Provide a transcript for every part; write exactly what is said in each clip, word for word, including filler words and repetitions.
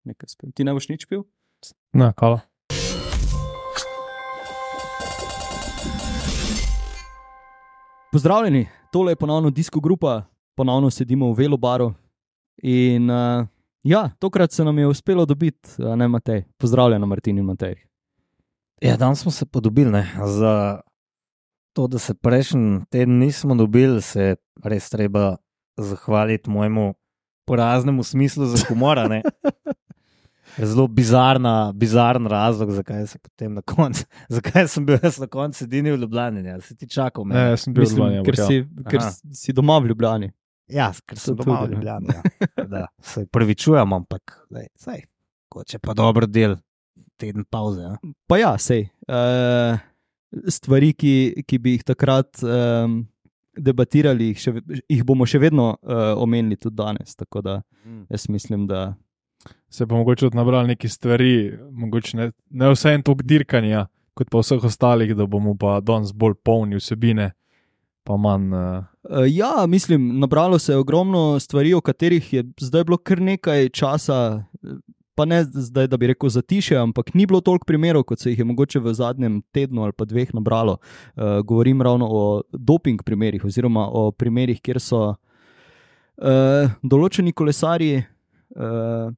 nekaj spil. Ti ne boš nič pil? Ne, kala. Pozdravljeni, tole je ponovno Disko grupa, ponovno sedimo v Velobaru in uh, ja, tokrat se nam je uspelo dobiti, ne Matej. Pozdravljeno, Martin in Matej. Ja, danes smo se podobili, ne, za to, da se prejšnji teden nismo dobili, se res treba zahvaliti mojemu poraznemu smislu za humora, ne. Zelo bizarna, bizarn razlog, zakaj se potem na koncu, zakaj sem bil jaz na koncu edini v Ljubljani, ja, si ti čakal mene. Ne, jaz sem bil Mislim, v Ljubljani. ker, si, ker Aha. si doma v Ljubljani. Ja, ker sem To doma tudi, v Ljubljani, ja. Da, se prvičujem, ampak lej, saj, kot če pa dober del teden pauze. Ja. Pa ja, sej. Uh, stvari, ki, ki bi jih takrat um, debatirali, jih, še, jih bomo še vedno uh, omenili tudi danes. Tako da jaz mislim, da Se pa mogoče tudi nabrali neke stvari, mogoče ne, ne vse en tok dirkanja, kot pa vseh ostalih, da bomo pa danes bolj polni vsebine, pa manj. Uh... Uh, ja, mislim, nabralo se je ogromno stvari, o katerih je zdaj bilo kar nekaj časa, pa ne zdaj, da bi rekel zatišje, ampak ni bilo toliko primerov, kot se jih je mogoče v zadnjem tednu ali pa dveh nabralo. Uh, govorim ravno o doping primerih oziroma o primerih, kjer so uh, določeni kolesarji uh,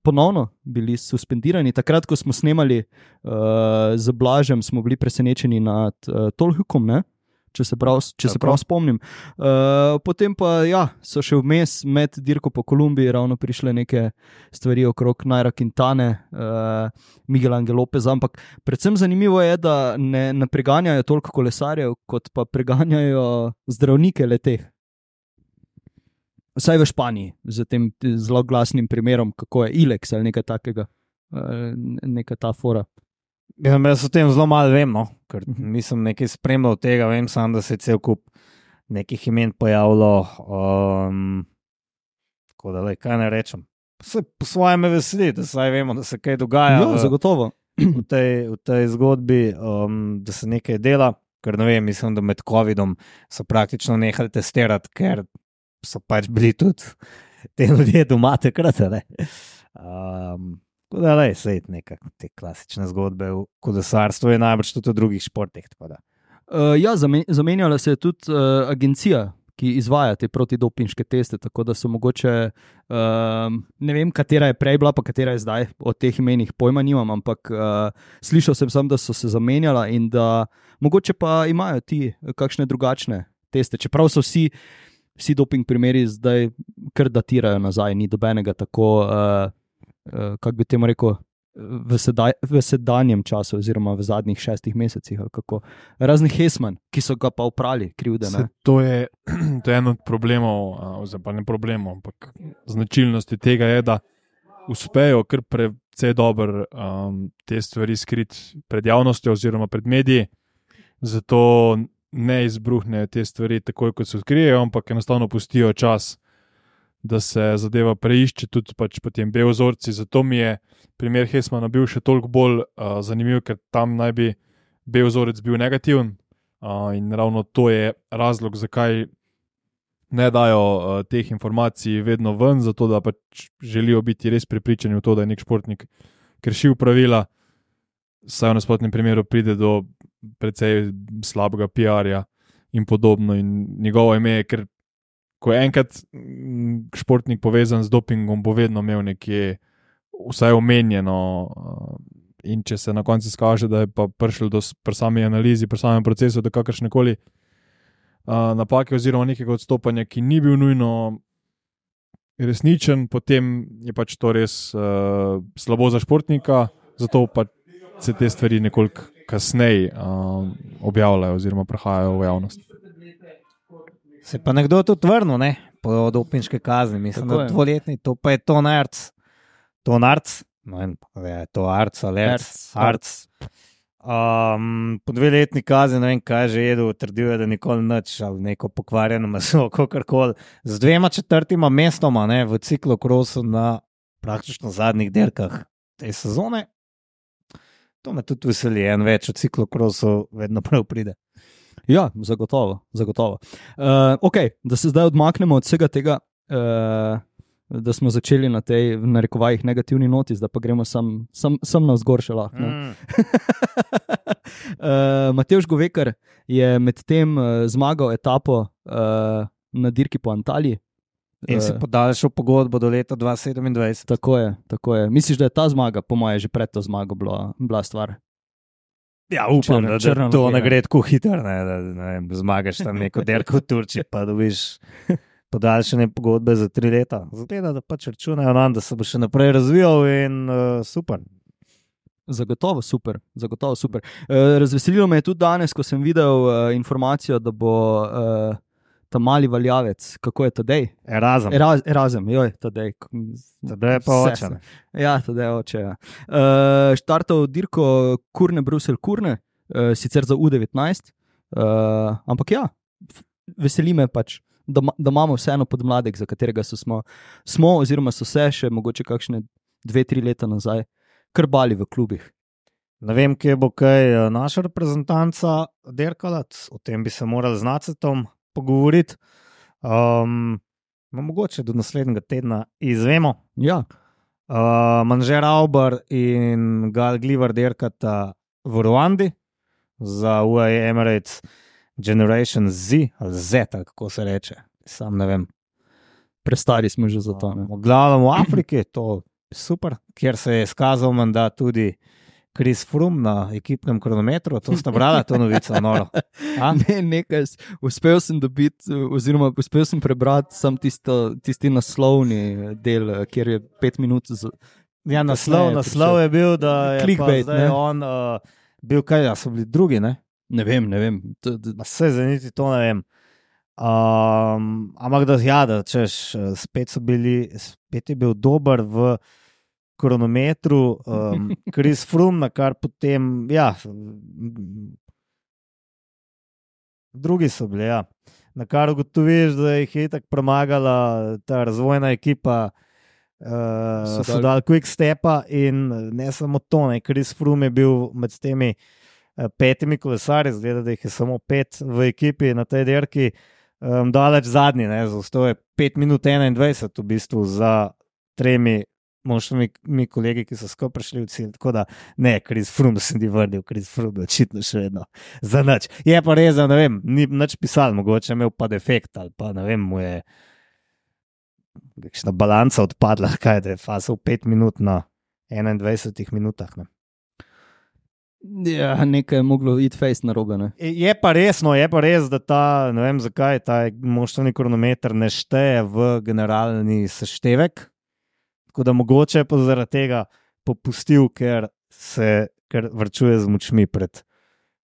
ponovno bili suspendirani. Takrat, ko smo snemali uh, z Blažem, smo bili presenečeni nad uh, Tolhukom, ne? Če se prav, če se prav spomnim. Uh, potem pa ja, so še vmes med dirko po Kolumbiji ravno prišle neke stvari okrog Naira Quintane, uh, Miguel Angel Lopez, ampak predvsem zanimivo je, da ne, ne preganjajo toliko kolesarjev, kot pa preganjajo zdravnike leteh. Vsaj v Španiji, z tem zelo glasnim primerom, kako je Ilex ali nekaj takega, uh, neka ta fora. Ja, jaz o tem zelo malo vem, no? Ker nisem nekaj spremljal tega, vem sam, da se je cel kup nekih imen pojavilo. Um, tako da, lej, kaj ne rečem. Se po svoje me veseli, da saj vemo, da se kaj dogaja Ja, v, zagotovo. v, tej, v tej zgodbi, um, da se nekaj dela, ker ne vem, mislim, da med covidom so praktično nehali testirati, ker so pač bili tudi te ljudje doma takrat, ne. Um, Tako da, lej, sej nekak te klasične zgodbe v kolesarstvu je najbrž tudi v drugih športih. Uh, ja, zamenjala se je tudi uh, agencija, ki izvaja te protidopinške teste, tako da so mogoče, uh, ne vem, katera je prej bila, pa katera je zdaj, o teh imenih pojma nimam, ampak uh, slišal sem sam, da so se zamenjala in da mogoče pa imajo ti kakšne drugačne teste, čeprav so vsi, vsi doping primeri zdaj kar datirajo nazaj, ni dobenega tako... Uh, Uh, kako bi temu rekel, v, sedaj, v sedanjem času, oziroma v zadnjih šestih mesecih, ali kako. Razni Hesman, ki so ga pa oprali, krivde. Se, to, je, to je en od problemov, oziroma pa ne problemov, ampak značilnosti tega je, da uspejo kar precej dobro um, te stvari skriti pred javnostjo oziroma pred mediji, zato ne izbruhnejo te stvari takoj, kot se odkrijejo, ampak enostavno pustijo čas, da se zadeva preišče, tudi pač potem B-vzorci. Zato mi je primer Hesmana bil še toliko bolj uh, zanimiv, ker tam naj bi B-vzorec bil negativen uh, in ravno to je razlog, zakaj ne dajo uh, teh informacij vedno ven, zato da pač želijo biti res prepričani v to, da je nek športnik kršil pravila, saj v nasprotnem primeru pride do precej slabega P R-ja in podobno in njegovo ime je, ker ko je enkrat športnik povezan z dopingom, bo vedno imel nekje vsaj omenjeno in če se na koncu skaže, da je pa prišlo do pri sami analizi, pri samem procesu do kakršnekoli uh, napake oziroma nekega odstopanja, ki ni bil nujno resničen, potem je pač to res uh, slabo za športnika, zato pa se te stvari nekoliko kasneje uh, objavljajo oziroma prehajajo v javnost. Se pa nekdo tudi vrnil, ne, po dopinške kazni, mislim, Tako da je. dvoletni, to pa je Ton Arc. Ton Arc, no in je to Arc ali Arc, Arc. Um, po dveletni kazni, ne vem, kaj že jedel, trdil je, da nikoli nič, ali neko pokvarjeno meso, kakorkoli. Z dvema četrtima mestoma, ne, v ciklokrosu na praktično zadnjih dirkah te sezone. To me tudi veseli, en več od ciklokrosu vedno prav pride. Ja, zagotovo. zagotovo. Uh, ok, da se zdaj odmaknemo od vsega tega uh, da smo začeli na tej, v narekovajih, negativni noti, zdaj pa gremo sam, sam, sam na vzgor še lahko. Mm. uh, Matevž Govekar je med tem uh, zmagal etapo uh, na dirki po Antaliji. In si podaljšal pogodbo do leta dva tisoč sedemindvajset. Tako je, tako je. Misliš, da je ta zmaga, po moje, že pred to zmago bila, bila stvar? Ja, upam, Črna- da, črna da to luknja. ne gre tako hitro, ne, da ne vem, zmagaš tam neko derko v Turčiji, pa dobiš podaljšanje pogodbe za tri leta. Zgleda, da pač računajo nam, da se bo še naprej razvijal in uh, super. Zagotovo super, zagotovo super. Uh, razveselilo me je tudi danes, ko sem videl uh, informacijo, da bo uh, ta mali valjavec, kako je Tadej? Erasmus. Eraz, Erazem, joj, Tadej. Tadej je pa Vse oče, ne. se- Ja, Tadej je oče. Ja. Uh, štartal dirko Kurne, Brusel, Kurne, uh, sicer za U devetnajst, uh, ampak ja, f- veseli me pač, da, ma- da imamo vseeno podmladek, za katerega so smo, smo, oziroma so se še mogoče kakšne dve, tri leta nazaj krbali v klubih. Ne vem, kje bo kaj eh, naša reprezentanca derkala, o tem bi se morali z Nacetom pogovoriti. Um, no, mogoče do naslednjega tedna izvemo. Ja, Uh, Manžer Auber in Gal Glivar derkata v Ruandi za U A E Emirates Generation Z, ali Z, ali kako se reče, sam ne vem. prestari smo že za to. Ne? V glavnem v Afriki, to je super, kjer se je izkazal menda tudi Chris Froome na ekipnem kronometru. To sta brala, to novico, noro. A? Ne, nekaj, s- uspel sem dobiti, oziroma uspel sem prebrati sam tisto, tisti naslovni del, kjer je pet minut. Z... Ja, naslov, Kasneje naslov je bil, da je Clickbait, pa zdaj ne? on uh, bil kaj, ja, so bili drugi, ne? Ne vem, ne vem. To, to, Ma se za niti to ne vem. Um, ampak da, ja, da češ, eh, spet so bili, spet je bil dober v kronometru, um, Chris Froome, na kar potem, ja, drugi so bili, ja. Na kar ugotoviš, da jih je tako premagala ta razvojna ekipa, uh, So so dali- dali quick stepa in ne samo to, ne, Chris Froome je bil med temi eh, petimi kolesarji, zgleda, da jih je samo pet v ekipi na tej dirki, um, daleč zadnji, ne, zastal je pet minut enaindvajset v bistvu za tremi moštvimi kolegi, ki so skupaj prišli v cilj. Tako da ne, Chris Froome se ni vrnil, Chris Froome je očitno še vedno za nič. Je pa res, da ne vem, ni nič pisal, mogoče je imel pa defekt ali pa ne vem, mu je kakšna balanca odpadla, kaj da je fasal pet minut na enaindvajsetih minutah. Ne. ja, nekaj je moglo iti face na robe. Ne? Je pa res, no, je pa res, da ta, ne vem zakaj, ta moštveni kronometer ne šteje v generalni seštevek. Tako da mogoče je pa zaradi tega popustil, ker se ker varčuje z močmi pred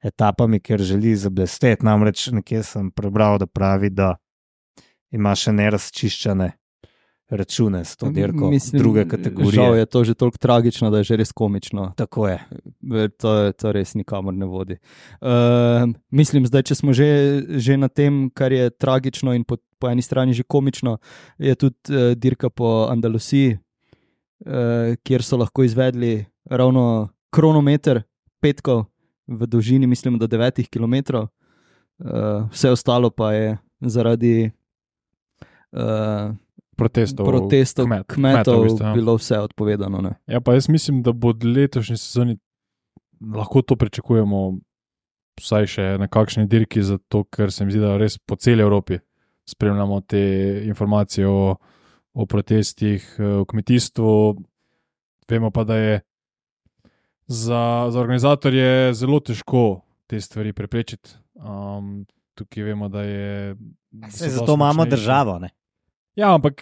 etapami, ker želi zablesteti. Namreč nekje sem prebral, da pravi, da ima še nerazčiščene račune s to dirko druge kategorije. Žal je to že toliko tragično, da je že res komično. Tako je. To, to res nikamor ne vodi. Uh, mislim, zdaj, če smo že, že na tem, kar je tragično in po, po eni strani že komično, je tudi uh, dirka po Andalusiji, uh, kjer so lahko izvedli ravno kronometer petkov v dolžini, mislim, do devetih kilometrov. Uh, vse ostalo pa je zaradi uh, protestov, protestov kmet, kmetov, kmetov v bistvu, ja. bilo vse odpovedano. Ne? Ja, pa jaz mislim, da bo od letošnje sezoni lahko to pričakujemo, vsaj še na kakšni dirki, zato ker se mi zdi, da res po celi Evropi spremljamo te informacije o, o protestih v kmetijstvu. Vemo pa, da je za, za organizatorje zelo težko te stvari preprečiti. Um, tukaj vemo, da je. da so Se dosti zato imamo močnejši. državo, ne? Ja, ampak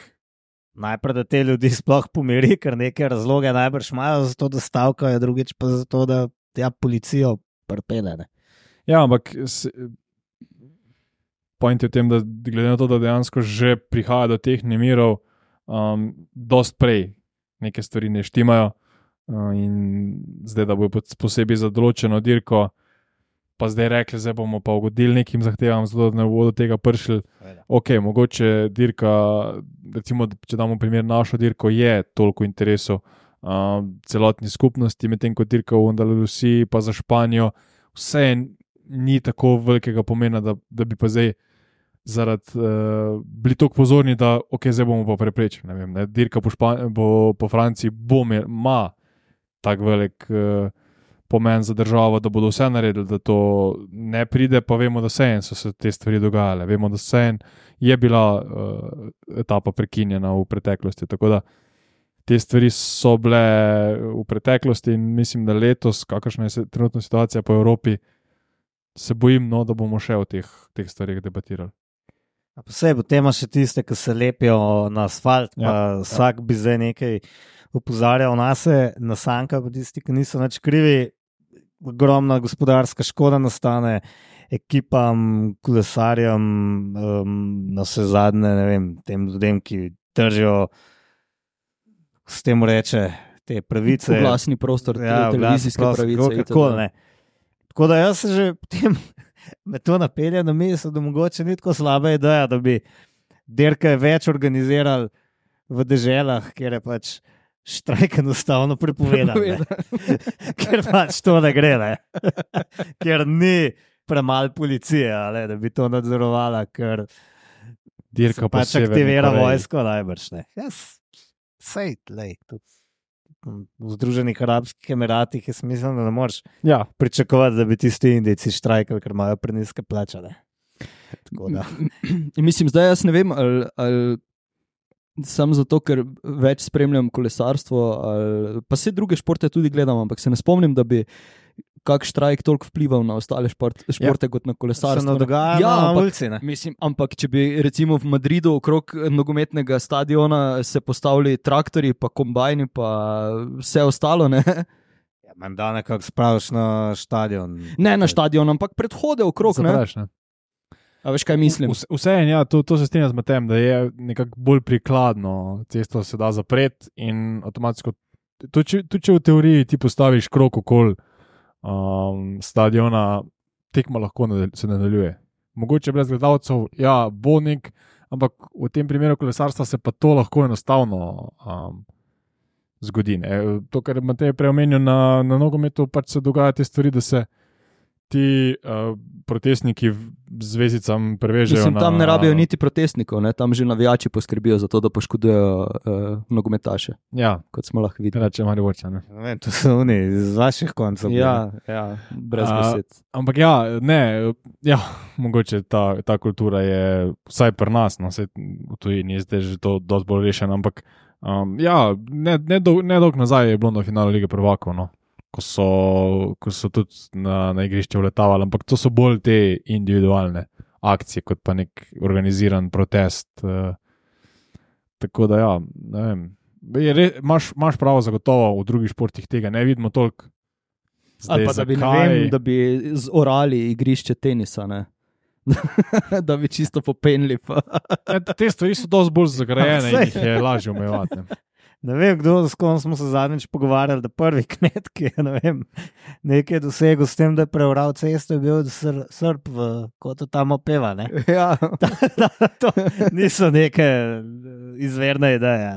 Najprej, da te ljudi sploh pomiri, ker neke razloge najbrž imajo za to, da stavkajo, drugič pa za to, da tja policijo prpele. Ne? Ja, ampak se, point je v tem, da glede na to, da dejansko že prihaja do teh nemirov, um, dost prej neke stvari ne štimajo uh, in zdaj, da bojo posebej za določeno dirko, pa zdaj rekli, zdaj bomo pa ugodili nekim zahtevam, zato da ne bodo do tega prišli. Ok, mogoče dirka, recimo, če damo primer našo dirko, je toliko interesov uh, celotni skupnosti, medtem ko dirka v Andalusiji pa za Španijo, vse ni tako velikega pomena, da, da bi pa zdaj zaradi uh, bili tako pozorni, da ok, zdaj bomo pa preprečili. Ne vem, ne, dirka po, Špan bo, po Franciji bo ima tak velik uh, pomen za državo, da bodo vse naredili, da to ne pride, pa vemo, da se en so se te stvari dogajale. Vemo, da se en je bila uh, etapa prekinjena v preteklosti, tako da te stvari so bile v preteklosti in mislim, da letos, kakršna je trenutna situacija po Evropi, se bojim, no, da bomo še o teh, teh stvarih debatirali. Posebej tema še tiste, ki se lepijo na asfalt, pa ja, vsak ja. bi zdaj nekaj opozarjal na se, na sanka, pa tisti, ki niso nič krivi, ogromna gospodarska škoda nastane ekipam, kolesarjem, um, na vse zadnje, ne vem, tem ljudem, ki držijo, s tem reče, te pravice. Glasni prostor, ja, televizijske prostor, pravice. Kako, ne. Tako da jaz se že potem me to napelje na misel, da mogoče ni tako slaba ideja, da bi dirke več organizirali v deželah, kjer je pač štrajk enostavno prepovedan. Ker pač to ne gre, ne. Ker ni premalo policije, ali, da bi to nadzorovala, ker dirka pač aktivira vojsko najbrž. Ne. Yes. Sej, lej, tudi v Združenih arabskih emiratih je smiselno, da ne moreš ja. pričakovati, da bi tisti Indijci štrajkali, ker imajo preniske plače. Tako da. Mislim, zdaj jaz ne vem, ali, ali sam zato, ker več spremljam kolesarstvo, ali, pa vse druge športe tudi gledam, ampak se ne spomnim, da bi kak štrajk toliko vplival na ostale šport, športe ja. kot na kolesarstvo. Se ne dogaja ja, na ampak, ulici, ne? Mislim, ampak če bi recimo v Madridu okrog nogometnega stadiona se postavili traktorji, pa kombajni, pa vse ostalo, ne? Ja, menda nekako spraviš na stadion. Ne na stadion, ampak predhode okrog, Zapraš, ne? ne? A veš, kaj mislim? Vse, vse en, ja, to, to se strinjam z Matejem, da je nekako bolj prikladno, cesto se da zapreti in avtomatsko, tudi če v teoriji ti postaviš krog okoli Um, stadiona, tekma lahko nadal se nadaljuje. Mogoče brez gledalcev, ja, bo nek, ampak v tem primeru kolesarstva se pa to lahko enostavno um, zgodi. Ne. To, kar Matej prej omenil na, na nogometu, pač se dogaja te stvari, da se ti uh, protestniki z vezicam prevežejo. Mislim, tam na, ne rabijo niti protestnikov, ne? Tam že navijači poskrbijo za to, da poškodujejo uh, nogometaše. Ja, kot smo lahko videli. Reče Mariborča, ne. Ne, to so oni z vaših koncev. Ja, ja, brez besed. Uh, ampak ja, ne, ja, mogoče ta, ta kultura je vsaj pri nas, no, vsaj v tujini je zdaj že to dosti bolj rešeno, ampak um, ja, ne, ne, dolg, ne dolg nazaj je bilo na finalu Lige prvakov, no. Ko so, ko so tudi na, na igrišče vletavali, ampak to so bolj te individualne akcije, kot pa nek organiziran protest. Uh, tako da ja, ne vem. Imaš, imaš pravo zagotovo, v drugih športih tega ne vidimo toliko. Ali pa da bi, ne vem, da bi zorali igrišče tenisa, ne? Da bi čisto popenili. Pa. Ne, te stvari so dosti bolj zagrajene in jih je lažje omejevati. Ne vem, kdo, s kom smo se zadnjič pogovarjali, da prvi kmet, ki je, ne vem, nekaj dosegel s tem, da je preural cesto, je bil sr, Srb, v, kot to tam opeva, ne? Ja. Da, da, to niso neke izverne ideje.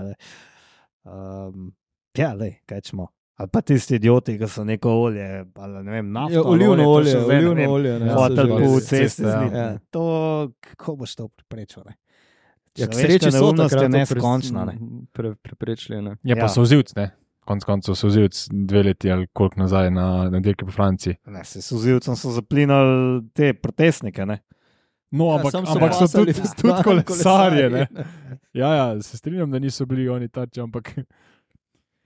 Um, ja, lej, kaj čemo. Ali pa tisti idioti, ki so neko olje, ali ne vem, nafto, ja, olivno olje, olje, olivno olje, ne? Hotel po cesti, ja. ja. To, kako boš to preprečil, ne? Ja, k sreči so takrat neskončna, ne? Pre, preprečili, ne? Je pa ja. Solzivc, ne? Konc koncev Solzivc dve leti ali koliko nazaj na, na dirki po Franciji. Ne, se Solzivcem so zaplinali te protestnike, ne? No, ja, ampak, so, ampak so tudi, tudi kolesarje, ne? Ja, ja, se strinjam, da niso bili oni tarči, ampak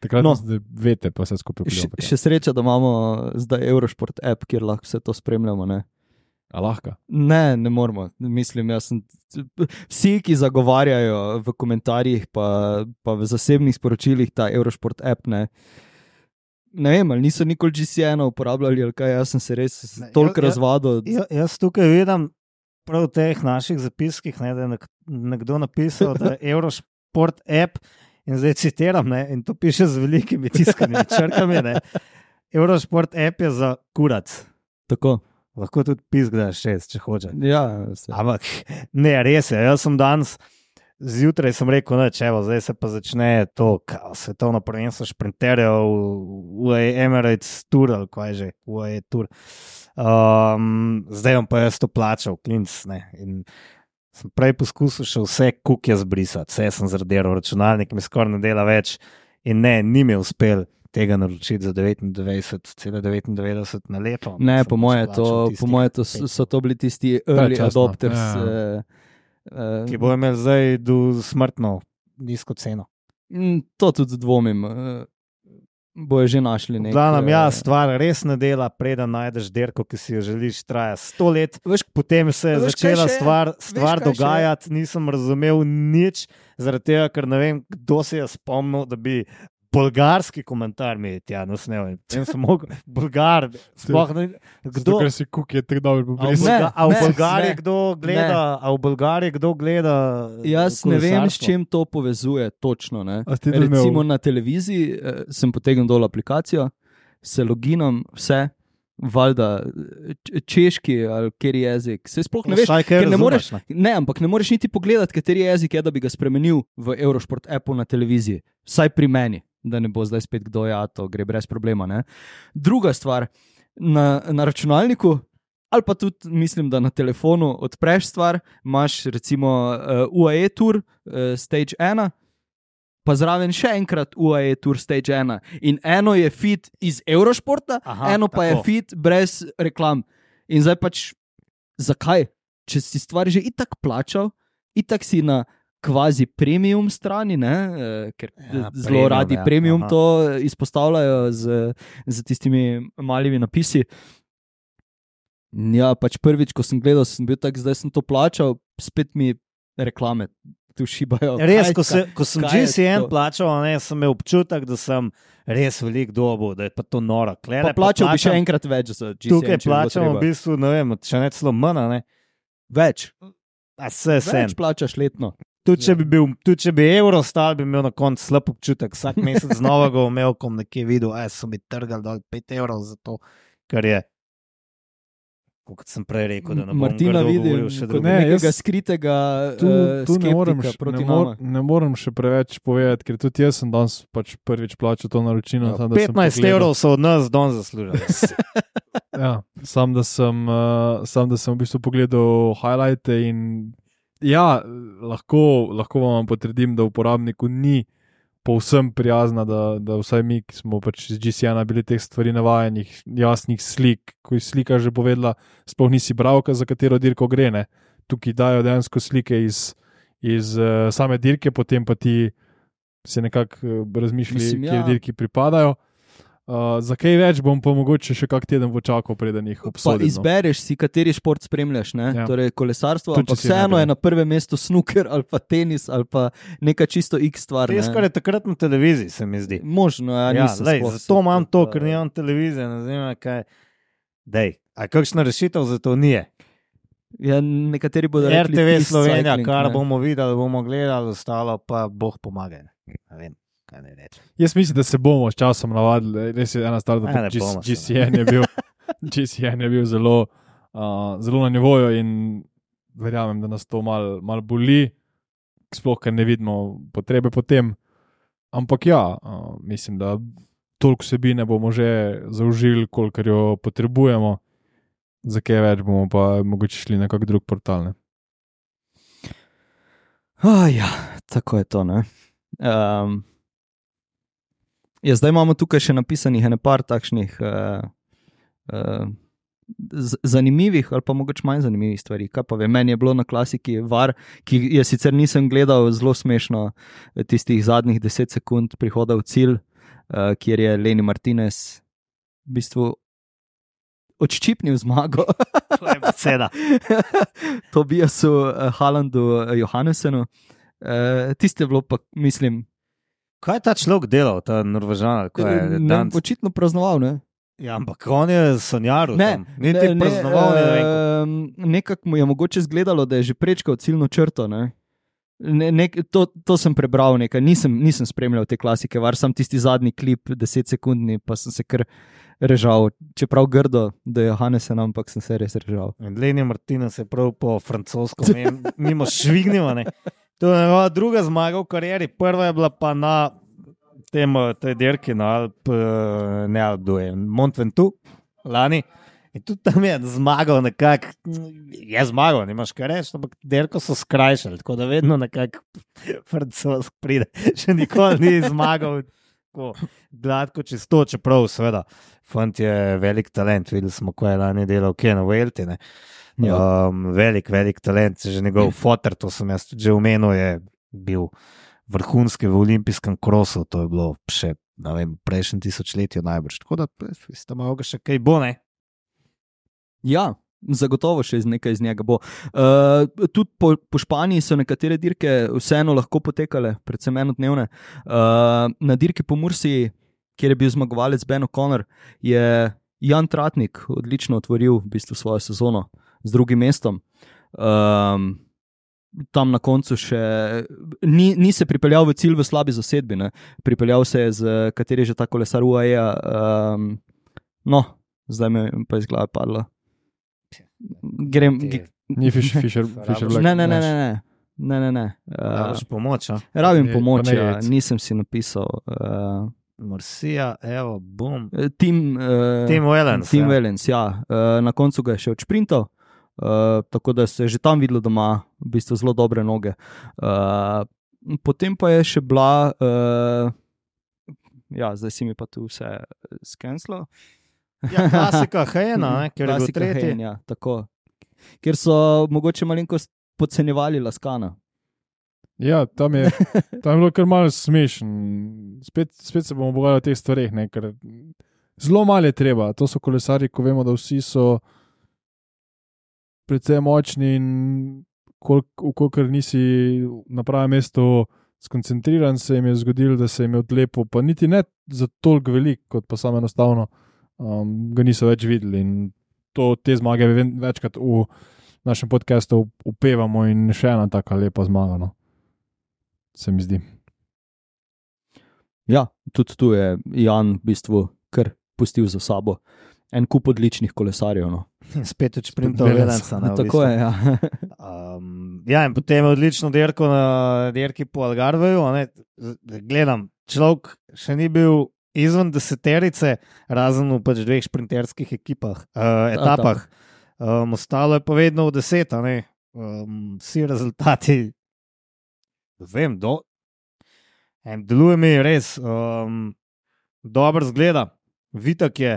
takrat no. Vete, pa se skupaj vpliva. Še, še sreča, da imamo zdaj Eurosport app, kjer lahko vse to spremljamo, ne? A lahko? Ne, ne moramo. Mislim, jaz sem, vsi, ki zagovarjajo v komentarjih pa, pa v zasebnih sporočilih ta Eurosport app, ne, ne vem, ali niso nikoli G C N uporabljali, ali kaj, jaz sem se res ne, toliko ja, razvadil. Ja, jaz tukaj vidim prav v teh naših zapiskih, ne, da je nekdo napisal, da je Eurosport app, in zdaj citiram, ne, in to piše z velikimi tiskanimi črkami, ne, Eurosport app je za kurac. Tako. Lahko tudi piskdaš šest, če hoče. Ja, ampak ne, res je. Jaz sem danes zjutraj sem rekel, da zdaj se pa začne to kao, svetovno prvenstvo šprinterjev v Emirates Tour, ali kaj že, v E Tour. Um, zdaj bom pa jaz to plačal, klinc, ne. In sem prej poskusil še vse kuke zbrisati, vse sem zradiral, računalnik mi skoraj ne dela več in ne, ni mi uspel tega naročiti za devetindvajset celih devetindevetdeset na leto. Ne, Sem po moje, pač to, plačal po moje to tistih so, so to bili tisti early Predčasno, adopters. ja. Uh, uh, ki bo imel zdaj do smrtno nizko ceno. To tudi dvomim. Uh, bojo že našli nekaj. Glavno, ja, stvar res ne dela, preden najdeš dirko, ki si jo želiš, traja sto let. Veš, Potem se je Veš, kaj začela še? stvar, stvar Veš, kaj še? dogajati, nisem razumel nič, zaradi tega, ker ne vem, kdo se je spomnil, da bi bolgarski komentar mi je tja nasnel. In sem mogel, bolgar, sploh ne, Zato, kdo... ker si kuk je tako dobro A v, pobrisal. Ne, Bolga, a v ne, Bolgariji ne. kdo gleda, a v Bolgariji kdo gleda Jaz ne vem, s kolesarstvo? čim to povezuje točno. Ne? A si ti tudi Recimo imel- na televiziji eh, sem potegnil dol aplikacijo, se loginom, vse, valjda č- češki ali kateri jezik. Se sploh ne veš, Vsaj kaj ker ne moreš, razumeš, ne. ne, ampak ne moreš niti pogledati, kateri jezik je, da bi ga spremenil v Eurosport appu na televiziji. Vsaj pri meni, da ne bo zdaj spet kdo, ja, to gre brez problema. Ne? Druga stvar, na, na računalniku, ali pa tudi mislim, da na telefonu odpreš stvar, imaš recimo uh, U A E Tour, uh, Stage ena, pa zraven še enkrat U A E Tour Stage ena. In eno je feed iz Eurošporta, Aha, eno pa tako. je feed brez reklam. In zdaj pač, zakaj? Če si stvar že itak plačal, itak si na kvazi premium strani, ne? eh, ker Ja, ja, zelo premium, radi ja, premium aha. to izpostavljajo z, z tistimi malimi napisi. Ja, pač prvič, ko sem gledal, sem bil tak, zdaj sem to plačal, spet mi reklame tu šibajo. Res, Kaj- ko, se, ko sem kaj je G C N to? plačal, ne, sem imel občutek, da sem res velik dobo, da je pa to noro. Klele, Pa plačal bi še plačam- enkrat več za G C N. Tukaj če bi bilo plačamo v treba. bistvu, ne vem, še ne celo manj, ne. Več. A se sem. Več plačaš letno. Tudi če bi, bil, tudi če bi evro stal, bi imel na koncu slab občutek. Vsak mesec znova ga imel, ko bom nekje videl, da so mi trgali dol pet evrov za to, kar je. Kot sem prej rekel, da ne bom Martina grdo vidim govoril še kot drugo. Ne, nekega jaz- skritega Tu, eh, tu ne, morem, skeptika še- proti ne, mor, nama. ne morem še preveč povedati, ker tudi jaz sem danes pač prvič plačal to naročilo. samo da sem petnajst pogledal. evrov so od nas don zaslužili. Ja, sam, da sem, uh, sam, da sem v bistvu pogledal highlighte in ja, lahko, lahko vam potrdim, da uporabniku ni povsem prijazna, da, da vsaj mi, ki smo pač z G C N-a bili teh stvari navajenih, jasnih slik, ko je slika že povedala, sploh nisi bravka, za katero dirko gre. Ne? Tukaj dajo dejansko slike iz, iz uh, same dirke, potem pa ti se nekako uh, razmišljali, Mislim, kje ja. dirki pripadajo. Uh, za kaj več bom pa mogoče še kak teden počakal, preden jih Pa obsodim. No. izbereš si, kateri šport spremljaš, ne? Ja. Torej kolesarstvo, Tudi, ampak če si vseeno najprej. je na prvem mestu snooker ali pa tenis ali pa neka čisto X stvar. Res, ne. kar je takrat na televiziji, se mi zdi. Možno, ja, Ja, nisem lej, sploh zato se- imam to, ker nimam televizije, ne vem, kaj. Dej, a kakšna rešitev za to nije? Ja, nekateri bodo rekli R T V peace Slovenija, cycling, kar ne. bomo videli, bomo gledali, ostalo pa Bog pomaga. Ne vem, kaj ne rečem. Jaz mislim, da se bomo s časom navadili. Res je ena stvar, da Ja, ne G- bomo se, G C N je bil, G C N je bil zelo, uh, zelo na nivoju in verjamem, da nas to malo mal boli, sploh ker ne vidimo potrebe po tem. Ampak ja, uh, mislim, da toliko vsebine bomo že zaužili, kolikor jo potrebujemo. Za kaj več bomo pa mogoče šli na kak drug portal. Ne? Oh, ja, tako je to. Um, ja, zdaj imamo tukaj še napisanih ene par takšnih uh, uh, z- zanimivih ali pa mogoče manj zanimivih stvari. Kaj pa vem, meni je bilo na klasiki var, ki je sicer nisem gledal, zelo smešno tistih zadnjih deset sekund prihoda v cilj, uh, kjer je Leni Martinez v bistvu odščipnil zmago. To je beseda. Tobiasu uh, Haalandu uh, Johannesenu. Uh, tiste je bilo pa, mislim, Kaj je ta človek delal, ta Norvežan? ali kaj je, ne, danc? očitno praznoval. Ne, Ja, ampak on je sanjar. ne, Niti praznoval, ne vem. kako. um, nekako mu je mogoče zgledalo, da je že prečkal ciljno črto. Ne. Ne, nek, to, to sem prebral, nekaj. Nisem, nisem spremljal te klasike, var sem tisti zadnji klip, deset sekundni, pa sem se kar režal. Čeprav grdo, da je Johannesen, ampak sem se res režal. Leni Martina se je prav po francosko mim- mimo švignila. Ne. To je njegova druga zmaga v karieri, prva je bila pa na tem, tej dirki na Alp, eh, ne Alp, kdo je, Mont Ventoux, lani. In tudi tam je zmagal nekako, je zmagal, nimaš kaj reči, ampak derko so skrajšali, tako da vedno nekako francosk pride, še nikoli ni zmagal tako gladko čisto, čeprav seveda, fant je velik talent, videli smo, ko je lani delal Ken Welty, ne. Um, velik, velik talent, že njegov foter, to sem jaz tudi že omenil, je bil vrhunski v olimpijskem krosu, to je bilo še, ne vem, prejšnjem tisočletju najbrž, tako da ste malo ga še kaj bo, ne? Ja, zagotovo še iz nekaj iz njega bo. Uh, tudi po, po Španiji so nekatere dirke vseeno lahko potekale, predvsem enodnevne. Uh, na dirki po Mursiji, kjer je bil zmagovalec Ben O'Connor, je Jan Tratnik odlično otvoril v bistvu svojo sezono z drugim mestom. Um, tam na koncu še ni, ni se pripeljal v cilj v slabi zasedbi, ne? Pripeljal se je z kateri že ta kolesar U A E. Um, no, zdaj me pa iz glave padlo. Grem, Ni Fisher, Fisher, Fisher Black. ne, ne, ne, ne, ne, ne, ne, ne. Rabiš Uh, pomoč, a? rabim Je- pomoč, pa ne ja, jec. nisem si napisal. Uh, Mursija, evo, bum. Tim, uh, Tim Wellens, Tim ja. Wellens, ja. Uh, na koncu ga je še odšprintal, uh, tako da se je že tam videlo, da ima v bistvu zelo dobre noge. Uh, potem pa je še bila, uh, ja, zdaj si mi pa tu vse skenslal. Ja, klasika Hejena, ne, ker je bil Klasika tretji. Hein, ja, tako. Ker so mogoče malenkost podcenjevali Laskana. Ja, tam je, tam je bilo kar malo smešen. Spet, spet se bomo pogovarjali o teh stvareh, ne, ker zelo malo je treba. To so kolesarji, ko vemo, da vsi so precej močni in kolikor nisi na pravem mestu skoncentriran, se jim je zgodilo, da se jim je odlepil, pa niti ne za toliko velik, kot pa samo enostavno um, ga niso več videli. In to, te zmage ve- večkrat v našem podcastu upevamo in še ena taka lepa zmaga, no. Se mi zdi. Ja, tudi tu je Jan v bistvu kar pustil za sabo en kup odličnih kolesarjev. No. Spet od šprintov Wellens. Wellensa. ne, v Tako bistvu. je, ja. Um, ja, in potem je odlično dirko na dirki po Algarveju. a ne. Z- Gledam, človek še ni bil izven deseterice, razen v pač dveh šprinterskih ekipah, uh, etapah. Um, ostalo je pa vedno v deset, a ne. Um, vsi rezultati, vem, do. Em, deluje mi res, um, dobro zgleda, vitek je.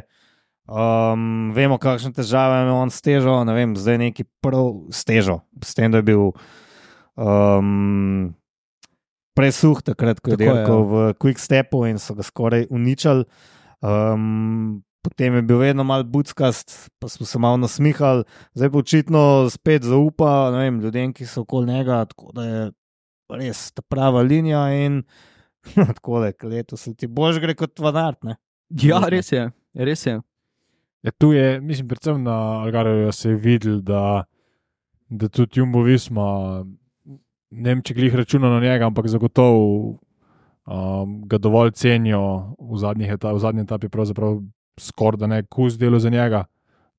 Um, vemo, kakšne težave ima on s težo, ne vem, zdaj neki prav s težo, s tem, da je bil um, presuh takrat, ko je Tako je, dirkal v Quick Stepu in so ga skoraj uničili. Um, potem je bil vedno mal buckast, pa smo se malo nasmihali, zdaj pa očitno spet zaupa, ne vem, ljudem, ki so okoli njega, tako da je res ta prava linija in tako da, letos se ti bož gre kot vanart, ne? Ja, res je, res je. Ja, tu je, mislim, predvsem na Algarveju se je videl, da, da tudi Jumbo Visma, ne vem, če glih računa na njega, ampak zagotovo um, ga dovolj cenijo v, zadnjih etap, v zadnji etapi, pravzaprav skoraj da ne kus delo za njega,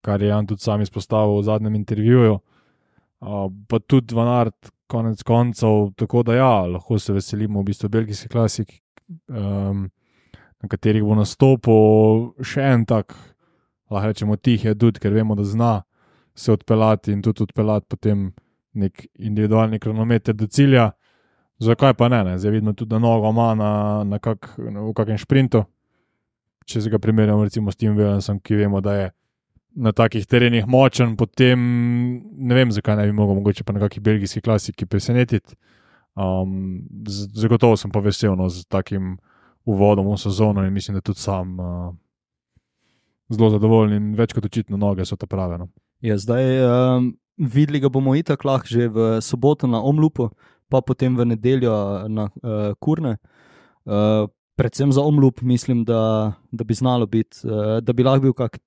kar je Jan tudi sam izpostavil v zadnjem intervjuju. Uh, pa tudi Van Aert, konec koncev, tako da ja, lahko se veselimo v bistvu belgijski klasik, um, na katerih bo nastopil še en tak, lahko rečemo, tih je tudi, ker vemo, da zna se odpeljati in tudi odpeljati potem nek individualni kronometer do cilja. Zakaj pa ne? ne? Zdaj vidimo tudi, da nogo ima na, na kak, na, v kakem šprintu. Če se ga primerjamo recimo s Tim Wellensom, ki vemo, da je na takih terenih močen, potem ne vem, zakaj ne bi mogel mogoče pa na kakih belgijskih klasiki presenetiti. Um, z- zagotovo sem pa vesel no, z takim uvodom v sezono in mislim, da tudi sam uh, zelo zadovoljen in več kot očitno noge so ta prave. No. Ja, zdaj um, videli ga bomo itak lahko že v soboto na Omlupu, pa potem v nedeljo na uh, Kurne. Uh, predvsem za Omlup mislim, da, da bi znalo biti, uh, da bi lahko bil kak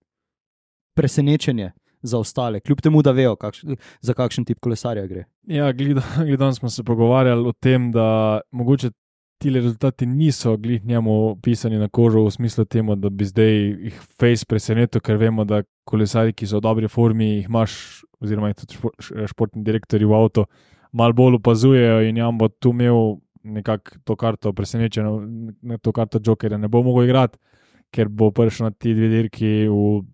presenečenje za ostale, kljub temu, da vejo, kakš, za kakšen tip kolesarja gre. Ja, gledam smo se pogovarjali o tem, da mogoče ti rezultati niso glih njemu pisani na kožo v smislu temu, da bi zdaj jih face presenetil, ker vemo, da kolesari, ki so v dobri formi, jih imaš, oziroma jih tudi špo- športni direktori v avto, malo bolj opazujejo in Jan bo tu imel nekako to karto presenečeno, to karto Jokerja ne bo mogel igrati, ker bo prišel na ti dve dirki v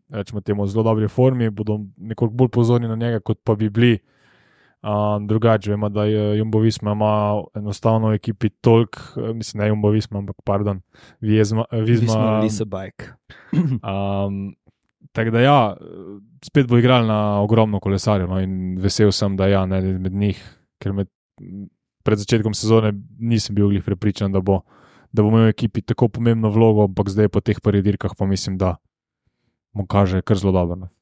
rečemo temu, zelo dobri formi, bodo nekoliko bolj pozorni na njega, kot pa bi bili. Um, drugače, vemo, da je Jumbo Visma ima enostavno v ekipi toliko, mislim, ne Jumbo Visma, ampak pardon, Vizma. Visma Lisa Bike. um, tako da ja, spet bo igral na ogromno kolesarjev, no, in vesel sem, da ja, ne med njih, ker med, pred začetkom sezone nisem bil glih prepričan, da bo, da bo imel v ekipi tako pomembno vlogo, ampak zdaj po teh prvih dirkah pa mislim, da mu kaže kar zelo dobro. Ne.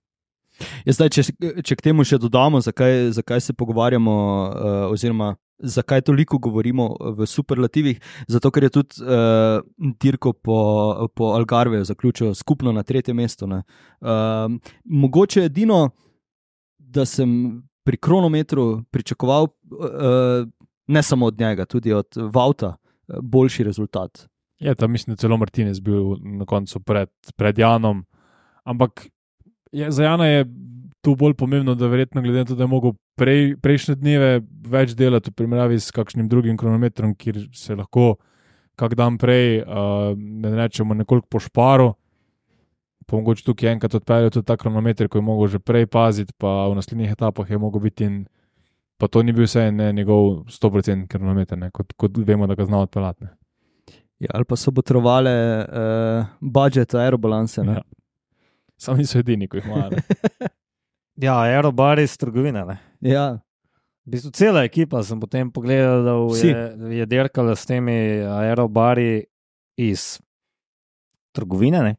Ja, zdaj, če, če k temu še dodamo, zakaj, zakaj se pogovarjamo, uh, oziroma zakaj toliko govorimo v superlativih, zato ker je tudi uh, dirko po, po Algarveju zaključil skupno na tretje mesto. Uh, mogoče edino, da sem pri kronometru pričakoval, uh, ne samo od njega, tudi od Vauta, uh, boljši rezultat. Je, tam mislim, da celo Martinez bil na koncu pred, pred Janom, ampak je, za Jana je tu bolj pomembno, da verjetno glede na to, da je mogel prej, prejšnje dneve več delati v primerjavi s kakšnim drugim kronometrom, kjer se lahko kak dan prej, uh, ne rečemo, nekoliko po šparu, pa mogoče tukaj enkrat odpeljal tudi ta kronometer, ko je mogel že prej paziti, pa v naslednjih etapah je mogel biti in pa to ni bil vse ne, njegov sto procent kronometer, ne, kot, kot vemo, da ga zna odpeljati. Ja, ali pa so potrebovali uh, budžet aerobalanse. Ja. Samo niso edini, ko jih imajo. Ja, aerobari iz trgovine. Ne? Ja. V bistvu cela ekipa sem potem pogledal, da je, je dirkala s temi aerobari iz trgovine. Ne?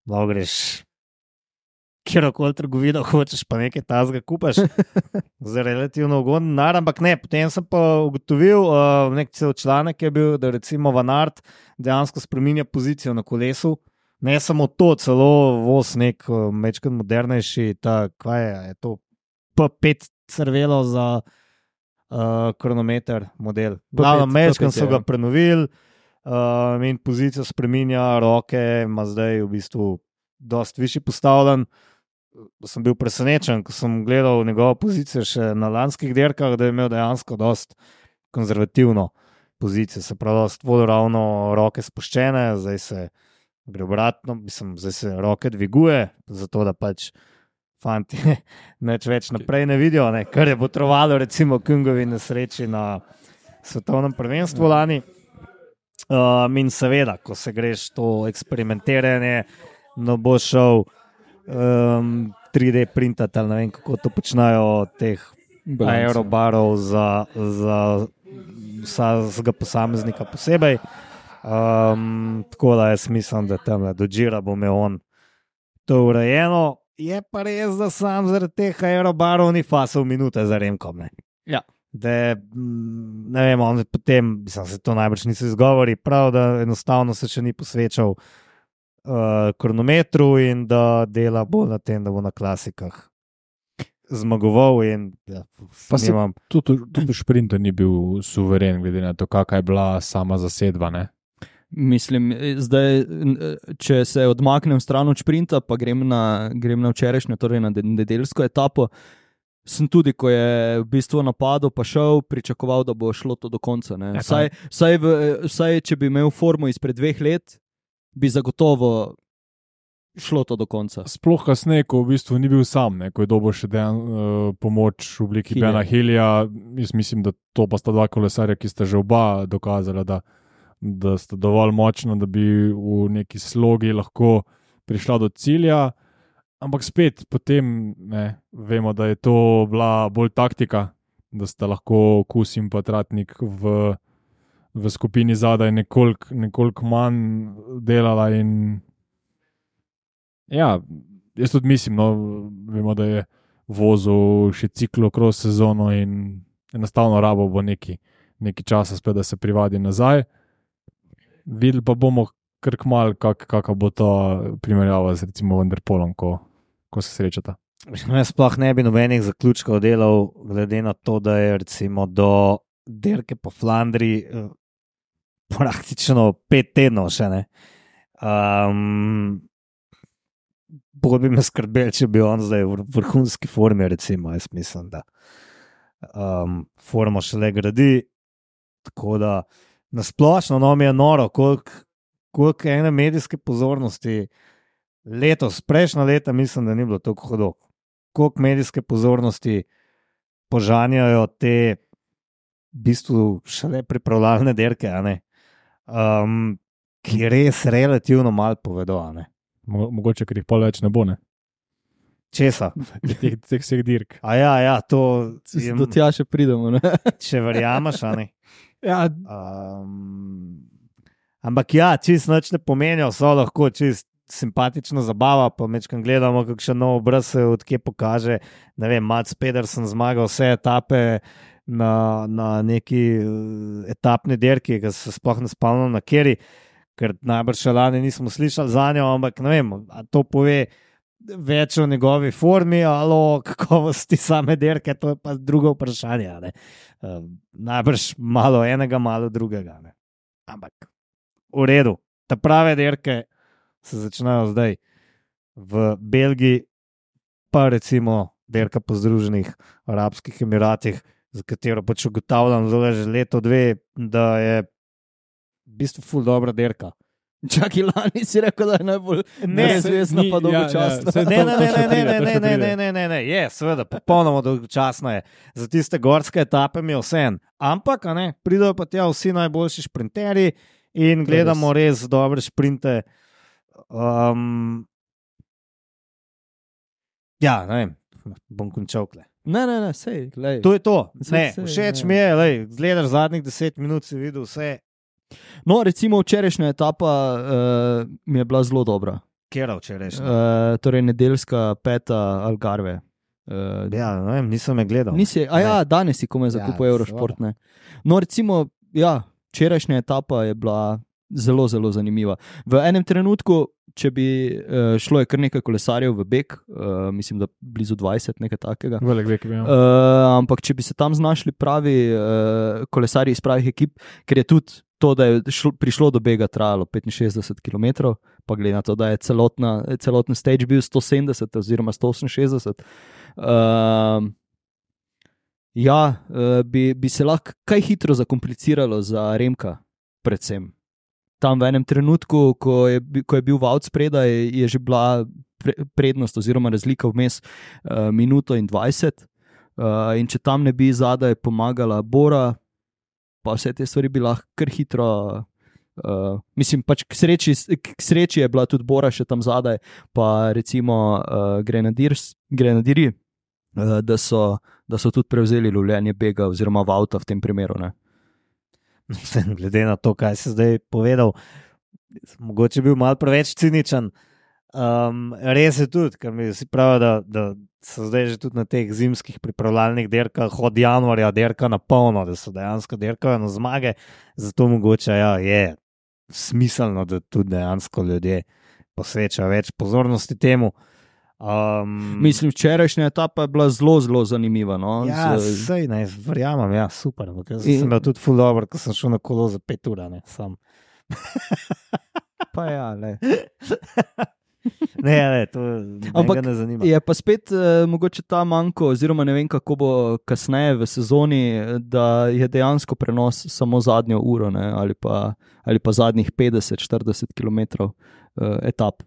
Lahko greš kjerokoli trgovino hočeš, pa nekaj tazga kupaš. Za relativno ugoden denar, ampak ne. Potem sem pa ugotovil, uh, nek cel članek je bil, da recimo Van Aert dejansko spreminja pozicijo na kolesu. Ne samo to, celo voz nek mečkrat modernejši, ta, kaj je, je to P pet crvelo za uh, kronometer model. Glavno, mečkrat so ga prenovili uh, in pozicijo spreminja, roke ima zdaj v bistvu dost višji postavljen. Sem bil presenečen, ko sem gledal njegovo pozicijo še na lanskih dirkah, da je imel dejansko dost konzervativno pozicijo, se pravi, dost vodoravno roke spuščene, zdaj se gre obratno, mislim, zdaj se roke dviguje, zato da pač fanti neč več naprej ne vidijo, ne, kar je potrovalo recimo Kungovi nesreči na svetovnem prvenstvu lani. Um, in seveda, ko se greš to eksperimentiranje, no bo šel um, tri D printati, ali ne vem, kako to počnajo teh aerobarov za, za vsakega posameznika posebej. Um, tako da jaz mislim, da tam do Gira bo imel on to urejeno. Je pa res, da sam zaradi teh aerobarov ni fasal minute za Remkom. Ne? Ja. Da, ne vem, on potem, mislim, se to najbrž niso izgovori, prav, da enostavno se še ni posvečal uh, kronometru in da dela bolj na tem, da bo na klasikah zmagoval. In, ja, pa se imam... tudi, tudi v šprintu ni bil suveren, glede na to, kakva je bila sama zasedba, ne? Mislim, zdaj, če se odmaknem stran od šprinta, pa grem na, grem na včerajšnjo, torej na nedeljsko etapo, sem tudi, ko je v bistvu napadel, pa šel, pričakoval, da bo šlo to do konca. Ne? Vsaj, vsaj, v, vsaj, če bi imel formo izpred dveh let, bi zagotovo šlo to do konca. Sploh kasneje, ko v bistvu ni bil sam, ne? Ko je dobil še dejan, uh, pomoč v obliki Bena Hillija, jaz mislim, da to pa sta dva kolesarja, ki sta že oba dokazala, da da sta dovolj močna, da bi v neki slogi lahko prišla do cilja, ampak spet potem ne, vemo, da je to bila bolj taktika, da sta lahko Kus in pa Tratnik v, v skupini zadaj nekoliko nekoliko manj delala in ja, jaz tudi mislim, no, vemo, da je vozil še ciklokros sezono in enostavno rabo bo neki, neki časa spet, da se privadi nazaj. Videli pa bomo kar kmalu, kak, kaka bo to primerjava z recimo Vanderpolom, ko, ko se srečata. Jaz sploh ne bi nobenih zaključkov delal, glede na to, da je recimo do dirke po Flandriji eh, praktično pet tednov še ne. Um, bolj bi me skrbel, če bi on zdaj v vrhunski formi, recimo, jaz mislim, da um, formo šele gradi, tako da nasplošno, no, mi je noro, koliko, koliko ene medijske pozornosti letos, prejšnja leta, mislim, da ni bilo tako hudo. Koliko medijske pozornosti požanjajo te v bistvu šele pripravljalne dirke, a ne? Um, ki res relativno malo povedo, a ne? Mo mogoče, ker jih pol več ne bo, ne? Česa? Teh, teh vseh dirk. A ja, ja, to... Jem, do tja še pridemo, ne? Če verjameš, a ne? Ja, Um, ampak ja, čist noč ne pomenijo, so lahko čist simpatična zabava, pa mečkam gledamo, kakšen nov obraz se odkje pokaže. Ne vem, Mats Pedersen zmaga vse etape na, na neki etapni dirki, ki se sploh ne spomnim na keri, ker najbrž še lani nismo slišali za njo, ampak ne vem, a to pove več o njegovi formi ali o kakovosti same dirke, to je pa drugo vprašanje. Ne? Um, najbrž malo enega, malo drugega. Ne? Ampak v redu, te prave dirke se začnejo zdaj v Belgiji, pa recimo dirka po Združenih arabskih emiratih, za katero pač ugotavljam že leto dve, da je v bistvu ful dobra dirka. Čakaj, lani si rekel, da je najbolj nezvezna, pa dolgočasna. Ja, ja. Ne, ne, ne, ne, ne, ne, ne, ne, ne, ne, ne, je, seveda, popolnoma dolgočasna je. Za tiste gorske etape mi je vseeno. Ampak, a ne, pridejo pa tja vsi najboljši šprinterji in gledamo res dobre šprinte. Um, ja, ne vem, bom končal kle. Ne, ne, ne, sej, glej. To je to. Ne, Sej, sej, všeč ne. mi je, lej, gledaš zadnjih deset minut, si videl vse. No, recimo včerajšnja etapa uh, mi je bila zelo dobra. Kera včerajšnja? Uh, torej nedeljska peta Algarve. Uh, Ja, ne vem, nisem me gledal. Nisi, a ja, danes si komaj zakupil Ja, Eurošport, ne. No, recimo, ja, včerajšnja etapa je bila zelo, zelo zanimiva. V enem trenutku, če bi uh, šlo je kar nekaj kolesarjev v beg, uh, mislim, da blizu dvajset, nekaj takega. velik vek bi imel. Uh, ampak če bi se tam znašli pravi uh, kolesarji iz pravih ekip, ker je tudi to, da je šlo, prišlo do bega, trajalo petinšestdeset kilometrov, pa glede na to, da je celotna, celoten stage bil sto sedemdeset oziroma sto oseminšestdeset. Uh, ja, uh, bi, bi se lahko kaj hitro zakompliciralo za Remka, predvsem. Tam v enem trenutku, ko je, ko je bil Vaut spredaj, je že bila pre, prednost oziroma razlika vmes uh, minuto in dvajset. Uh, in če tam ne bi zadaj pomagala Bora, pa vse te stvari bi lahko kar hitro, uh, mislim, pač k sreči, k sreči je bila tudi Bora še tam zadaj, pa recimo uh, Grenadiers, Grenadiri, uh, da, so, da so tudi prevzeli lovljenje bega oziroma Vauta v tem primeru. Ne? Glede na to, kaj si zdaj povedal, mogoče bil malo preveč ciničen. Um, res je tudi, ker mi si pravi, da, da so zdaj že tudi na teh zimskih pripravljalnih dirkah od januarja dirka na polno, da so dejansko dirkajo na zmage, zato mogoče ja, je smiselno, da tudi dejansko ljudje posvečajo več pozornosti temu. Um, Mislim, včerajšnja etapa je bila zelo, zelo zanimiva. No? ja, Z- sej, ne, verjamem, ja, super. Jaz In- sem imel tudi ful dobro, ko sem šel na kolo za pet ur, ne, sam. Pa ja, le. Ne, ne, to Ampak me ne zanima. Je pa spet uh, mogoče ta manjko, oziroma ne vem, kako bo kasneje v sezoni, da je dejansko prenos samo zadnjo uro, ne, ali, pa, ali pa zadnjih petdeset do štirideset kilometrov uh, etap.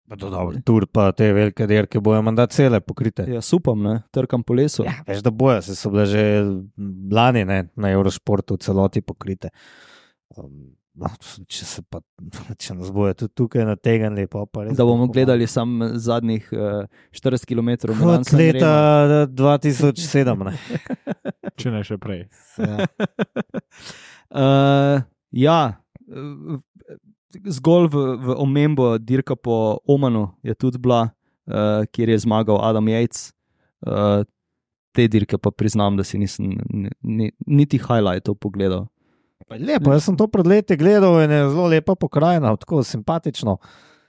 Pa to dobro, tur pa te velike dirke bojo mandat cele pokrite. Jaz upam, ne, trkam po lesu. Ja, veš, da bojo, se so bile že lani ne, na Eurošportu v celoti pokrite. Um, no, če, se pa, če nas bojo tudi tukaj nategnili, pa pa res. Da bomo bo gledali samo zadnjih uh, štirideset kilometrov. Od leta dva tisoč sedem. Ne. Če ne še prej. Ja. Uh, ja, uh, zgolj v, v omembo dirka po Omanu je tudi bila, uh, kjer je zmagal Adam Yates. Uh, te dirke pa priznam, da si nisem ni, ni, niti highlightov pogledal. Lepo, jaz sem to pred leti gledal in je zelo lepa pokrajina, tako simpatično.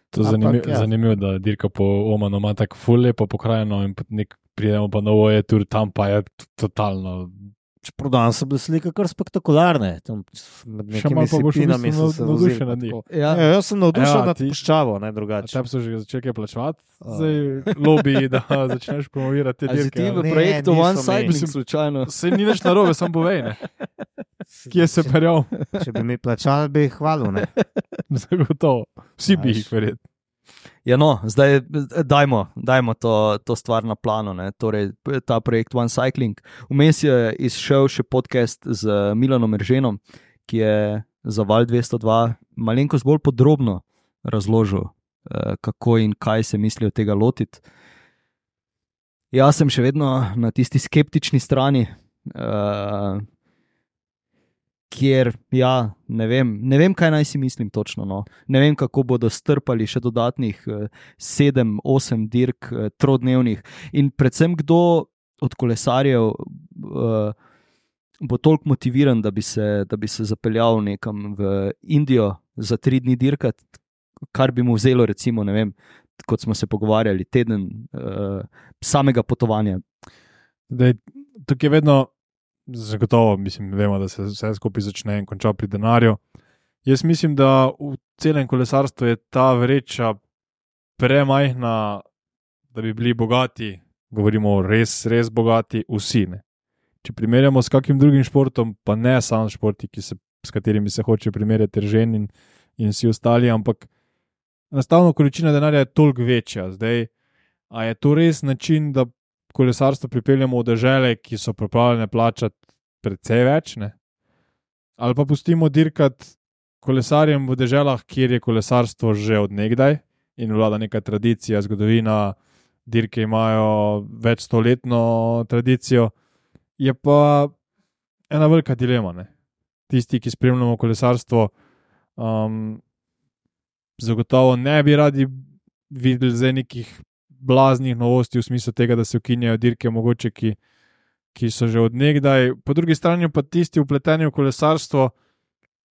To je Ampak, zanimivo, ja. zanimivo, da dirka po Omanu ima tako ful lepo pokrajino in nek, pridemo pa novo je tur, tam pa je totalno. Čeprav danes so bile slike kar spektakularne. Tam med Še nekimi malo pa boš v sipinami bistvu so se navdušen vozili, nad njih. tako. Ja. Ja, jaz sem navdušen Ja, nad ti- puščavo, ne A drugače. tebi so že začeli kaj plačevati, A. zdaj lobby, da začneš promovirati te A si dirke. ti v ali? Ne, projektu niso One mi. Cycling Mislim- slučajno? Saj ni nič narobe, samo povej, ne. Kje se perjal? Če bi mi plačali, bi jih hvalil. Ne? Zagotovo. Vsi bi Znaš. jih verjetno. Ja, no, zdaj dajmo, dajmo to, to stvar na plano, ne? Torej ta projekt One Cycling. Vmes je izšel še podcast z Milanom Erženom, ki je za Val dvesto dva malenkost bolj podrobno razložil, kako in kaj se mislijo tega lotiti. Jaz sem še vedno na tisti skeptični strani, kjer, ja, ne vem, ne vem, kaj naj si mislim točno. No. Ne vem, kako bodo strpali še dodatnih sedem, osem dirk trodnevnih in predvsem kdo od kolesarjev uh, bo toliko motiviran, da bi se, da bi se zapeljal nekam v Indijo za tri dni dirkat, kar bi mu vzelo, recimo, ne vem, kot smo se pogovarjali, teden uh, samega potovanja. Dej, tukaj je vedno zagotovo, mislim, vemo, da se vse skupaj začne in konča pri denarju. Jaz mislim, da v celem kolesarstvu je ta vreča premajhna, da bi bili bogati, govorimo res, res bogati, vsi. Ne? Če primerjamo s kakim drugim športom, pa ne samo športi, ki se, s katerimi se hoče primerjati Eržen in, in vsi ostali, ampak enostavno količina denarja je toliko večja. Zdaj, a je to res način, da kolesarstvo pripeljamo v dežele, ki so pripravljene plačati precej več, ne? Ali pa pustimo dirkati kolesarjem v deželah, kjer je kolesarstvo že od nekdaj in vlada neka tradicija, zgodovina, dirke imajo več stoletno tradicijo, je pa ena velika dilema. Ne? Tisti, ki spremljamo kolesarstvo, um, zagotovo ne bi radi videli zdaj nekih blaznih novosti v smislu tega, da se ukinjajo dirke mogoče, ki, ki so že od nekdaj. Po drugi strani pa tisti vpleteni v kolesarstvo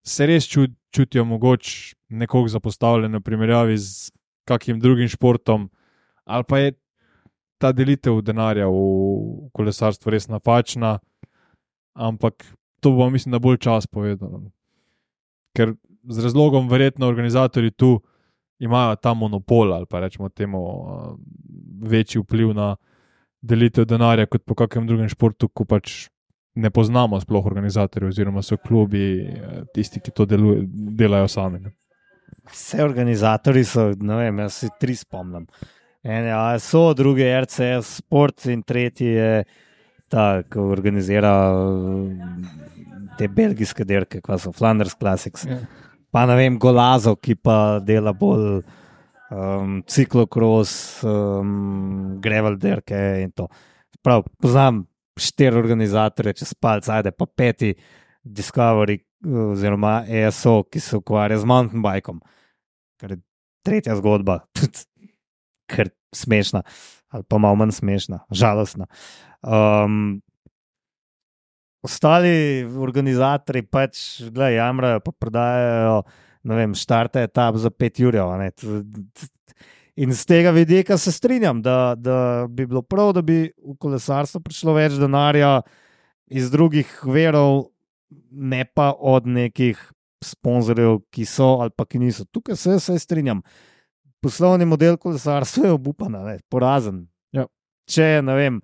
se res čut, čutijo mogoče nekoliko zapostavljeno v primerjavi z kakim drugim športom, ali pa je ta delitev denarja v kolesarstvu res napačna, ampak to bo, mislim, da bolj čas povedal. Ker z razlogom verjetno organizatorji tu imajo ta monopol ali pa rečemo temu večji vpliv na delitev denarja kot po kakem drugem športu, ko pač ne poznamo sploh organizatorjev oziroma so klubi tisti, ki to deluje, delajo sami. Ne? Vse organizatorji so, ne vem, jaz si tri spomnim. Ene A S O, drugi R C S Sport in tretji je ta, ki organizira te belgijske dirke, kva so Flanders Classics. Ja. Pa ne vem, Golazo, ki pa dela bolj um, ciklokros, um, gravel dirke in to. Prav, poznam štiri organizatorje, čez palc, ajde, pa peti Discovery oziroma A S O, ki se ukvarja z mountain bikom. Kar je tretja zgodba, ker smešna, ali pa malo manj smešna, žalostna. Um, Ostali organizatorji pač, gledaj, jamrajo, pa prodajajo, ne vem, štarte etap za pet jurjev. In z tega vidika se strinjam, da, da bi bilo prav, da bi v kolesarstvo prišlo več denarja iz drugih verov, ne pa od nekih sponzorjev, ki so ali pa ki niso. Tukaj se vse strinjam. Poslovni model kolesarstva je obupan, porazen. Ja. Če, ne vem,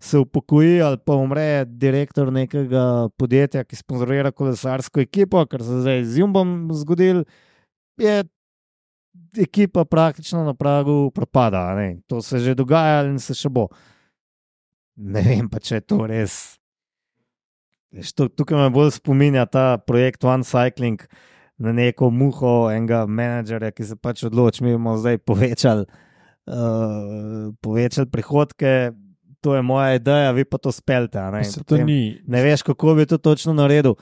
se upokoji ali pa umre direktor nekega podjetja, ki sponzorira kolesarsko ekipo, kar se zdaj z Jumbom zgodil, je ekipa praktično na pragu propada. Ne? To se že dogaja in se še bo. Ne vem pa, če je to res. Tukaj me bolj spominja ta projekt One Cycling na neko muho enega menedžerja, ki se pač odloči, mi bomo zdaj povečali, uh, povečali prihodke. To je moja ideja, vi pa to spelte. Ne? To ni... ne veš, kako bi to točno naredil.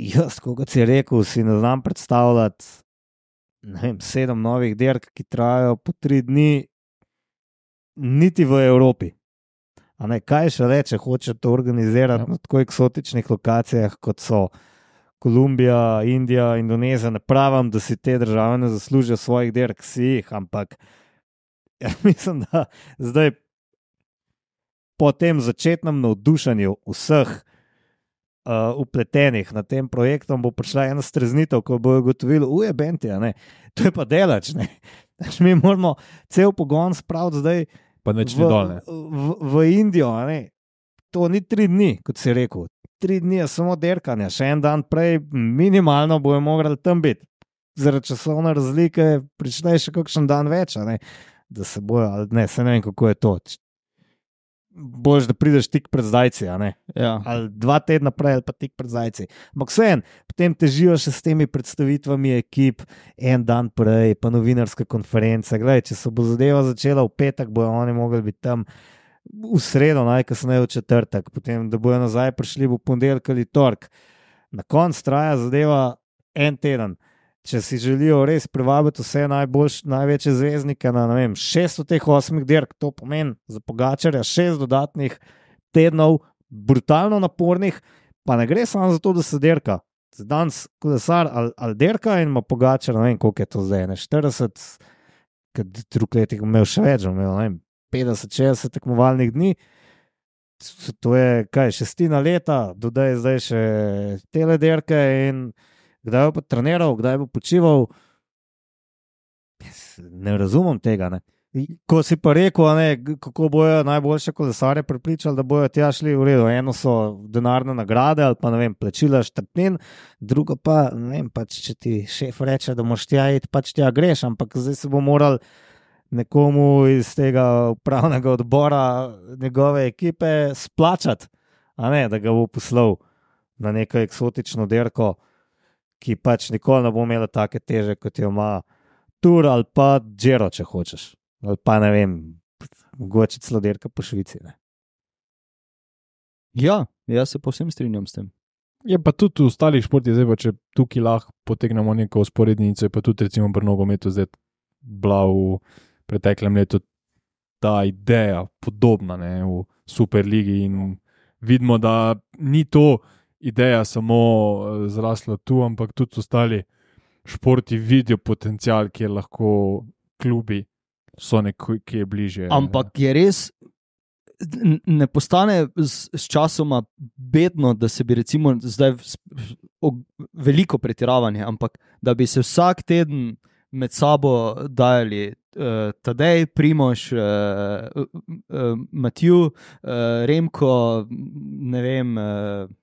Jaz, kot si rekel, si ne znam predstavljati ne vem, sedem novih dirk, ki trajajo po tri dni, niti v Evropi. A ne, kaj še reče, hoče to organizirati ja. Na tako eksotičnih lokacijah, kot so Kolumbija, Indija, Indonezija. Ne pravim, da si te države ne zaslužijo svojih dirk, si jih, ampak ja, mislim, da zdaj po tem začetnem navdušenju vseh uh, upletenih na tem projektom bo prišla ena streznitev, ko bojo ugotovili, uje, benti, ne, to je pa delač, ne. Mi moramo cel pogon spraviti zdaj pa v, v, v Indijo, ne. To ni tri dni, kot si rekel. Tri dni je samo derkanja, še en dan prej minimalno bojo morali tam biti. zaradi časovne razlike prične še kakšen dan več, a ne, da se bojo, ali ne, se ne vem, kako je to. Boš, da prideš tik pred zdajci, a ne. Ja. Ali dva tedna prej, ali pa tik pred zdajci. Ampak vseeno, potem težijo še s temi predstavitvami ekip, en dan prej, pa novinarske konference. Glej, če se bo zadeva začela v petek, bojo oni mogli biti tam v sredo, najkasneje v četrtek, potem, da bojo nazaj prišli v ponedeljek ali torek. Na koncu traja zadeva en teden. Če si želijo res privabiti vse najboljš, največje zvezdnike na, ne vem, šest od teh osmih dirk, to pomeni za Pogačarja šest dodatnih tednov, brutalno napornih, pa ne gre samo za to, da se dirka. Danes kolesar ali, ali dirka in ima Pogačar, ne vem, koliko je to zdaj, ne, štirideset, kad drug letih imel še več, imel, ne vem, petdeset, šestdeset tekmovalnih dni, to je, kaj, šestina leta, dodaj zdaj še tele dirke in kdaj bo pa treniral, kdaj bo počival, ne razumem tega, ne. Ko si pa rekel, ne, kako bojo najboljše kolesarje prepričali, da bojo tja šli v redu. Eno so denarne nagrade ali pa, ne vem, plačila štartnin, drugo pa, ne vem, pač, če ti šef reče, da moraš tja iti, pač tja greš, ampak zdaj se bo moral nekomu iz tega upravnega odbora njegove ekipe splačati, a ne, da ga bo poslal na neko eksotično dirko, ki pač nikoli ne bo imela take teže, kot jo ima Tour ali pa Giro, če hočeš. Ali pa, ne vem, mogoče celo dirka po Švici. Ne? Ja, jaz se povsem strinjam s tem. Je pa tudi v ostalih športih, zdaj pa če tukaj lahko potegnemo neko usporednico, je pa tudi recimo pri nogometu zdaj bila v preteklem letu ta ideja podobna, ne, v Superligi in vidimo, da ni to ideja samo zrasla tu, ampak tudi ostali športi vidijo potencial, kjer lahko klubi so nekje bližje. Ampak je res, ne postane s, s časoma bedno, da se bi recimo zdaj o, veliko pretiravanje, ampak da bi se vsak teden med sabo dajali uh, Tadej, Primož, uh, uh, Matiju, uh, Remko, ne vem... Uh,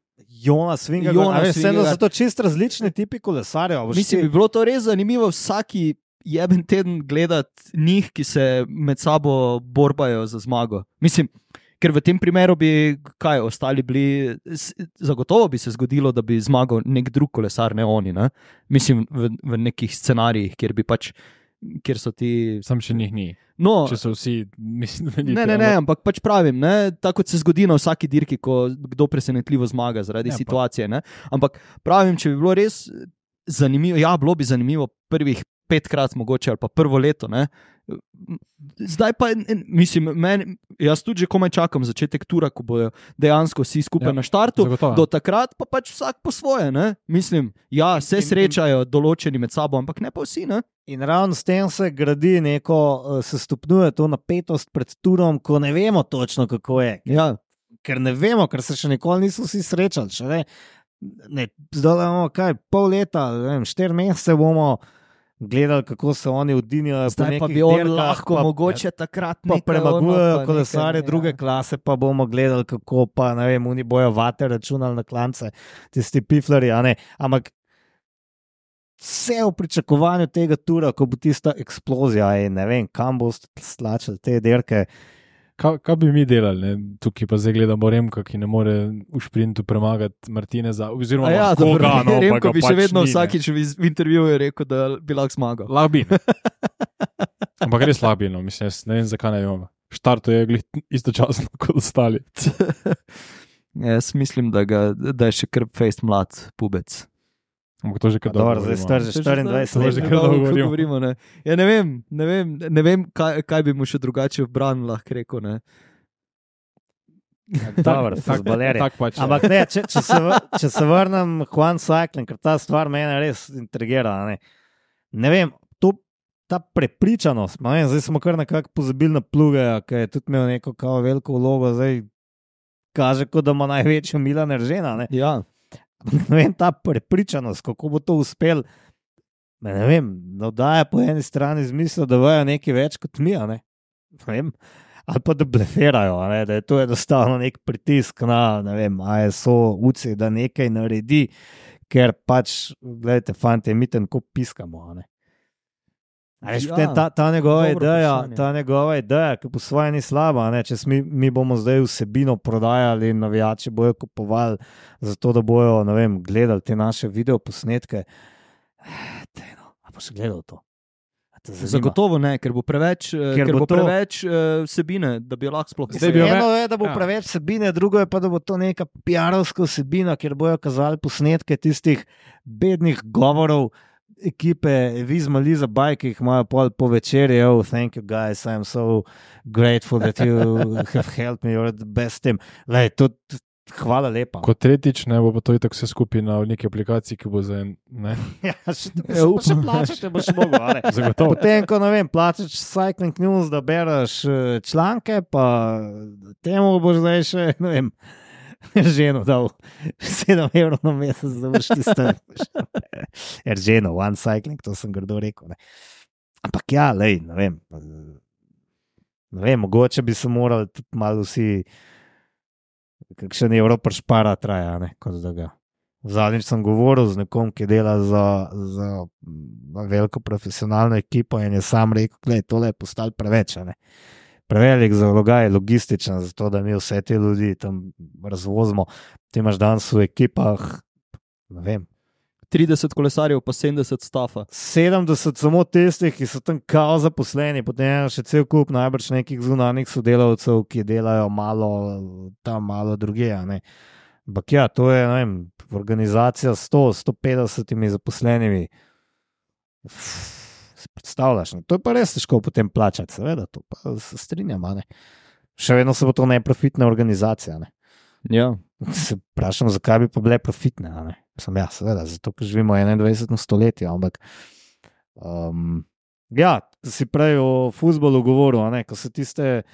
Jonas Vingegaard, vseeno so to čist različni tipi kolesarjev. Mislim, bi bilo to res zanimivo vsaki jeben teden gledati njih, ki se med sabo borbajo za zmago. Mislim, ker v tem primeru bi, kaj, ostali bili, zagotovo bi se zgodilo, da bi zmagal nek drug kolesar, ne oni, ne? Mislim, v, v nekih scenarijih, kjer bi pač, kjer so ti... Sam še njih ni. No, če so vsi, mislim, da ni. Ne, ne, ne, ampak pač pravim, ne, tako kot se zgodi na vsaki dirki, ko kdo presenetljivo zmaga zaradi ja, situacije, ne. Ampak pravim, če bi bilo res zanimivo, ja, bilo bi zanimivo prvih petkrat mogoče ali pa prvo leto, ne. Zdaj pa, mislim, men, jaz tudi že komaj čakam začetek tura, ko bojo dejansko vsi skupaj ja, na štartu, zagotovo. Do takrat pa pač vsak po svoje, ne. Mislim, ja, se srečajo določeni med sabo, ampak ne pa vsi, ne. In ravno s tem se gradi neko, se stopnjuje to napetost pred turom, ko ne vemo točno, kako je. Ja. Ker ne vemo, ker se še nikoli niso vsi srečali. Še ne, ne, zdaj imamo kaj, pol leta, ne vem, štiri mesece bomo gledali, kako se oni udinijo. Zdaj pa bi on lahko pa, mogoče takrat pa premagujejo kolesare druge ja. klase, pa bomo gledali, kako pa, ne vem, oni bojo vate računali na klance, tisti piflari, a ne, ampak vse v pričakovanju tega tura, ko bo tista eksplozija in ne vem, kam boste slačali te dirke. Kaj, kaj bi mi delali? Ne? Tukaj pa zdaj gledamo Remka, ki ne more v šprintu premagati Martineza, oziroma ja, koga, dobro, no, Remko bi pač še vedno ni, vsakič v intervjuju rekel, da bi lahko zmagal. Lahko bi. Ampak res lahko bi, no. Mislim, ne vem, zakaj ne vem. Štarto je glih istočasno kot ostali. Jaz mislim, da, ga, da je še kar fejst mlad pubec. Ampak to že kar dolgo govorimo. Zdaj star že štiriindvajset let. To že kar dolgo govorimo. Ne. Ja, ne vem, ne vem, ne vem kaj, kaj bi mu še drugače v bran lahko rekel. Ne. Dobro, futbolerje. Tak pač, ampak ne, če, če, se, če se vrnem Juan Cycling, ker ta stvar mene res intrigira. Ne, ne vem, to, ta prepričanost, ma vem, zdaj smo kar nekako pozabili na Plugeja, ki je tudi imel neko kao veliko vlogo, zdaj kaže, kot da ima največjo Milan Eržena. Ne. Ja. Ne vem, ta prepričanost, kako bo to uspel, ne vem, navdaja po eni strani zmisel, da vajo nekaj več kot mi, ne? Ne vem, ali pa da bleferajo, ne? Da je to enostavno nek pritisk na, ne vem, A S O, U C I, da nekaj naredi, ker pač, gledajte, fante, mi ten ko piskamo, a ne. Veš, ja, ta, ta, njegova ideja, ta njegova ideja, ki po svoje ni slaba, ne? Če mi, mi bomo zdaj vsebino prodajali in navijači bojo kupovali zato, da bojo, ne vem, gledali te naše videoposnetke. Tejno, a pa še gledal to? Zagotovo ne, ker bo preveč, ker ker bo bo preveč uh, vsebine, da bi jo lahko sploh posneli. Eno je, da bo ja. preveč vsebine, drugo je pa, da bo to neka piarovska vsebina, kjer bojo kazali posnetke tistih bednih govorov ekipe Vizma Liza Baj, ki jih imajo pol po večeri. Oh, thank you guys, I'm so grateful that you have helped me, you're the best team. Lej, to, hvala lepa. Kot tretjič, ne bo pa to itak vse skupaj na neki aplikaciji, ki bo za en, ne? Ja, še, ja, še plačate, boš mogo, ali? Zagotovo. Potem, ko, ne vem, plačaš Cycling News, da bereš članke, pa temu boš zdaj še, ne vem, ženo dal sedem evrov na mesec, da boš ti stavil. Er ženo, one cycling, to sem grdo rekel, ne. Ampak ja, lej, ne vem, ne vem, mogoče bi se morali tudi malo vsi kakšen evro pršpara traja, ne, kot da ga. Zadnjič sem govoril z nekom, ki dela za, za veliko profesionalno ekipo in je sam rekel, gledaj, tole je postalo preveč, ne. Prevelik zalogaj, logističen, zato da mi vse te ljudi tam razvozimo. Ti imaš danes v ekipah, ne vem, trideset kolesarjev, pa sedemdeset stafa. sedemdeset samo tistih, ki so tam kao zaposleni, potem je še cel kup najbrž nekih zunanjih sodelavcev, ki delajo malo tam, malo druge, ne. Ampak ja, to je, ne vem, organizacija sto do sto petdeset zaposlenimi. Se predstavljaš, ne? To je pa res težko potem plačati, seveda, to pa se strinjam, ne. Še vedno se bo to neprofitna organizacija, ne. Ja. Se vprašam, zakaj bi pa bile profitne, ne. Sem ja, seveda, zato, ker živimo v enaindvajsetem stoletju, ampak um, ja, si prej o fuzbolu govoril, ne, ko so tiste,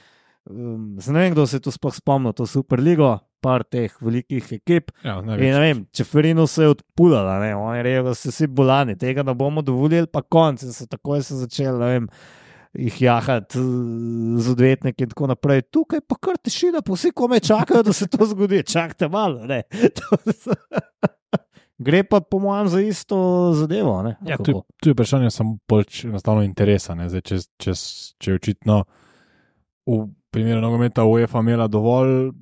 um, ne vem, kdo se je tu sploh spomnil, to Superligo, par teh velikih ekip, ja, in ne vem, Čeferinu se je odpulala, ne, oni rejo, da so vsi bolani, tega ne bomo dovolili, pa konc, in so takoj se začeli, ne vem, jih jahati z odvetniki in tako naprej. Tukaj pa kar tišina, pa vsi kome čakajo, da se to zgodi, čakajte malo, ne. Gre pa po mojem za isto zadevo, ne? Ja, tu, tu je vprašanje samo bolj enostavno interesa, ne? Zdaj, če, če, če očitno v primeru nogometa UEFA imela dovolj,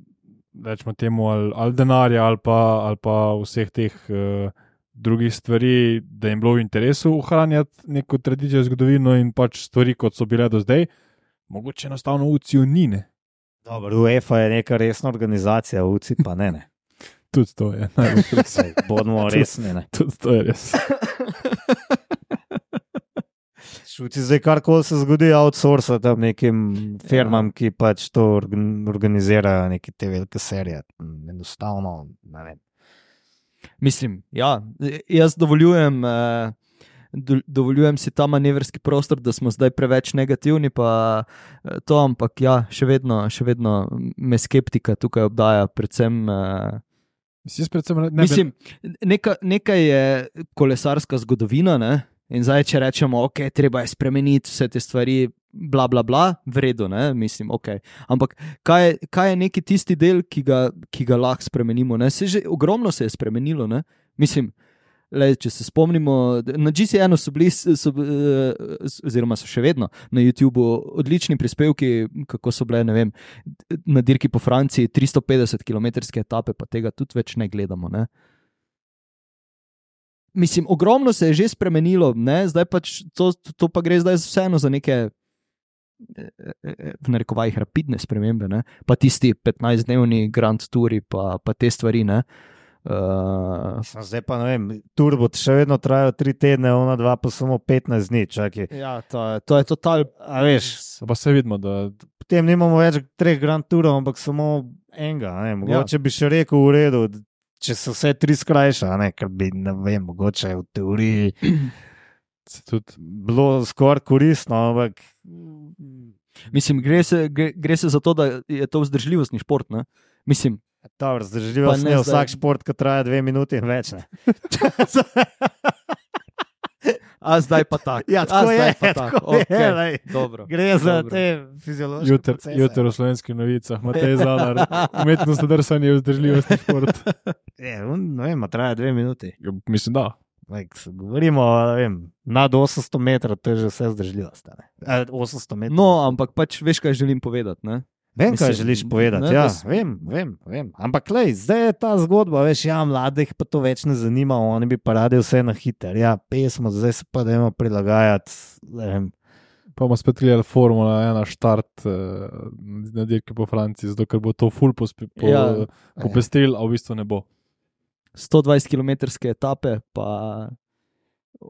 rečemo temu, ali, ali denarja, ali pa, ali pa vseh teh uh, drugih stvari, da jim bilo v interesu ohranjati neko tradicijo, zgodovino in pač stvari, kot so bile do zdaj, mogoče enostavno U C I-ju ni, ne? Dobro, UEFA je neka resna organizacija, U C I pa ne, ne. Tudi to je. Bodimo resni, ne. Tudi to je res. Šuti zdaj karkoli se zgodi, outsourca tam nekim firmam, ki pač to organizirajo, neke te velike serije. Enostavno, ne vem. Mislim, ja, jaz dovoljujem, eh, do, dovoljujem si ta manevrski prostor, da smo zdaj preveč negativni, pa to, ampak ja, še vedno, še vedno me skeptika tukaj obdaja, predvsem eh, Ne Mislim, neka, nekaj je kolesarska zgodovina, ne? In zdaj, če rečemo, ok, treba je spremeniti vse te stvari, bla, bla, bla, v redu, ne? Mislim, ok. Ampak kaj, kaj je neki tisti del, ki ga, ki ga lahko spremenimo, ne? Se že ogromno se je spremenilo, ne? Mislim, le, če se spomnimo, na G C N-u so bili, so, oziroma so še vedno na YouTubeu odlični prispevki, kako so bile, ne vem, na dirki po Franciji tristo petdeset kilometrske etape, pa tega tudi več ne gledamo, ne. Mislim, ogromno se je že spremenilo, ne, zdaj pač, to, to pa gre zdaj vseeno za neke, v narekovajih, rapidne spremembe, ne, pa tisti petnajstdnevni Grand Touri, pa, pa te stvari, ne. Uh, zdaj pa ne vem, tur bo še vedno trajal tri tedne, ona dva pa samo petnajst dni, čakaj. Ja, to je, to je total, a veš, pa se vidimo, da potem nimamo več treh Grand Tourov, ampak samo enega, ne, mogoče ja. Bi še rekel v redu, če se vse tri skrajša, ne, ker bi, ne vem, mogoče v teoriji tudi bilo skoraj koristno, ampak mislim, gre se, gre, gre se za to, da je to vzdržljivostni šport, ne, mislim. Dobro, zdržljivost je vsak šport, ki traja dve minuti in več, ne. A zdaj pa tako. Ja, tako je, tako je, Okay. lej. Dobro. Gre za Dobro. te fiziološke Jutr, procese. jutr v slovenskih novicah, Matej Zalar, umetnost drsanja in vzdržljivosti šport. Je, on, ne vem, a traja dve minuti. Ja, mislim, da. Like, govorimo, ne vem, nad osemsto metrov, to je že vse zdržljivost. a ne. A, osemsto metrov. No, ampak pač veš, kaj želim povedati. Ne? Vem, kaj Mislim, želiš povedati. ne, Ja, da s- vem, vem, vem. Ampak, lej, zdaj je ta zgodba, veš, ja, mladih pa to več ne zanima, oni bi pa radi vse na hiter. Ja, pesmo, zdaj se pa dajmo prilagajati. ne vem. Pa bomo spet gledali Formula ena štart uh, na dirki po Franciji, zato ker bo to full pospe, po, Ja. ja. popestril, a v bistvu ne bo. sto dvajset kilometrske etape, pa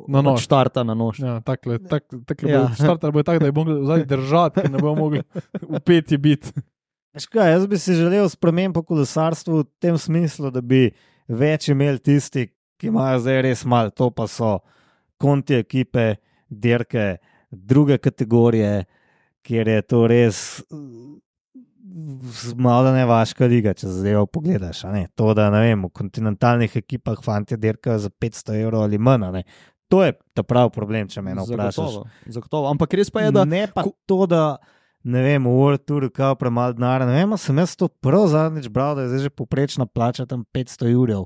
Na nož. od štarta na nož. Ja, takle, tak, takle Ja. ja. Štart bo tak, da je mogli zadnji držati, ker ne bomo mogli upeti biti. Veš kaj, jaz bi si želel sprememb po kolesarstvu v tem smislu, da bi več imeli tisti, ki imajo zdaj res malo, to pa so konti ekipe, dirke, druge kategorije, kjer je to res malo nevaška liga, če zdaj pogledaš. a ne. To, da ne vem, v kontinentalnih ekipah fanti dirkajo za petsto evrov ali manj. a ne. To je ta pravi problem, če me eno vprašaš. Zagotovo, zagotovo. Ampak res pa je, da Ne pa to, da ne vem, v World Touru kao premalo denarja. Ne vem, a sem jaz to prav zadnjič bral, da je zdaj že poprečna plača tam petsto evrov.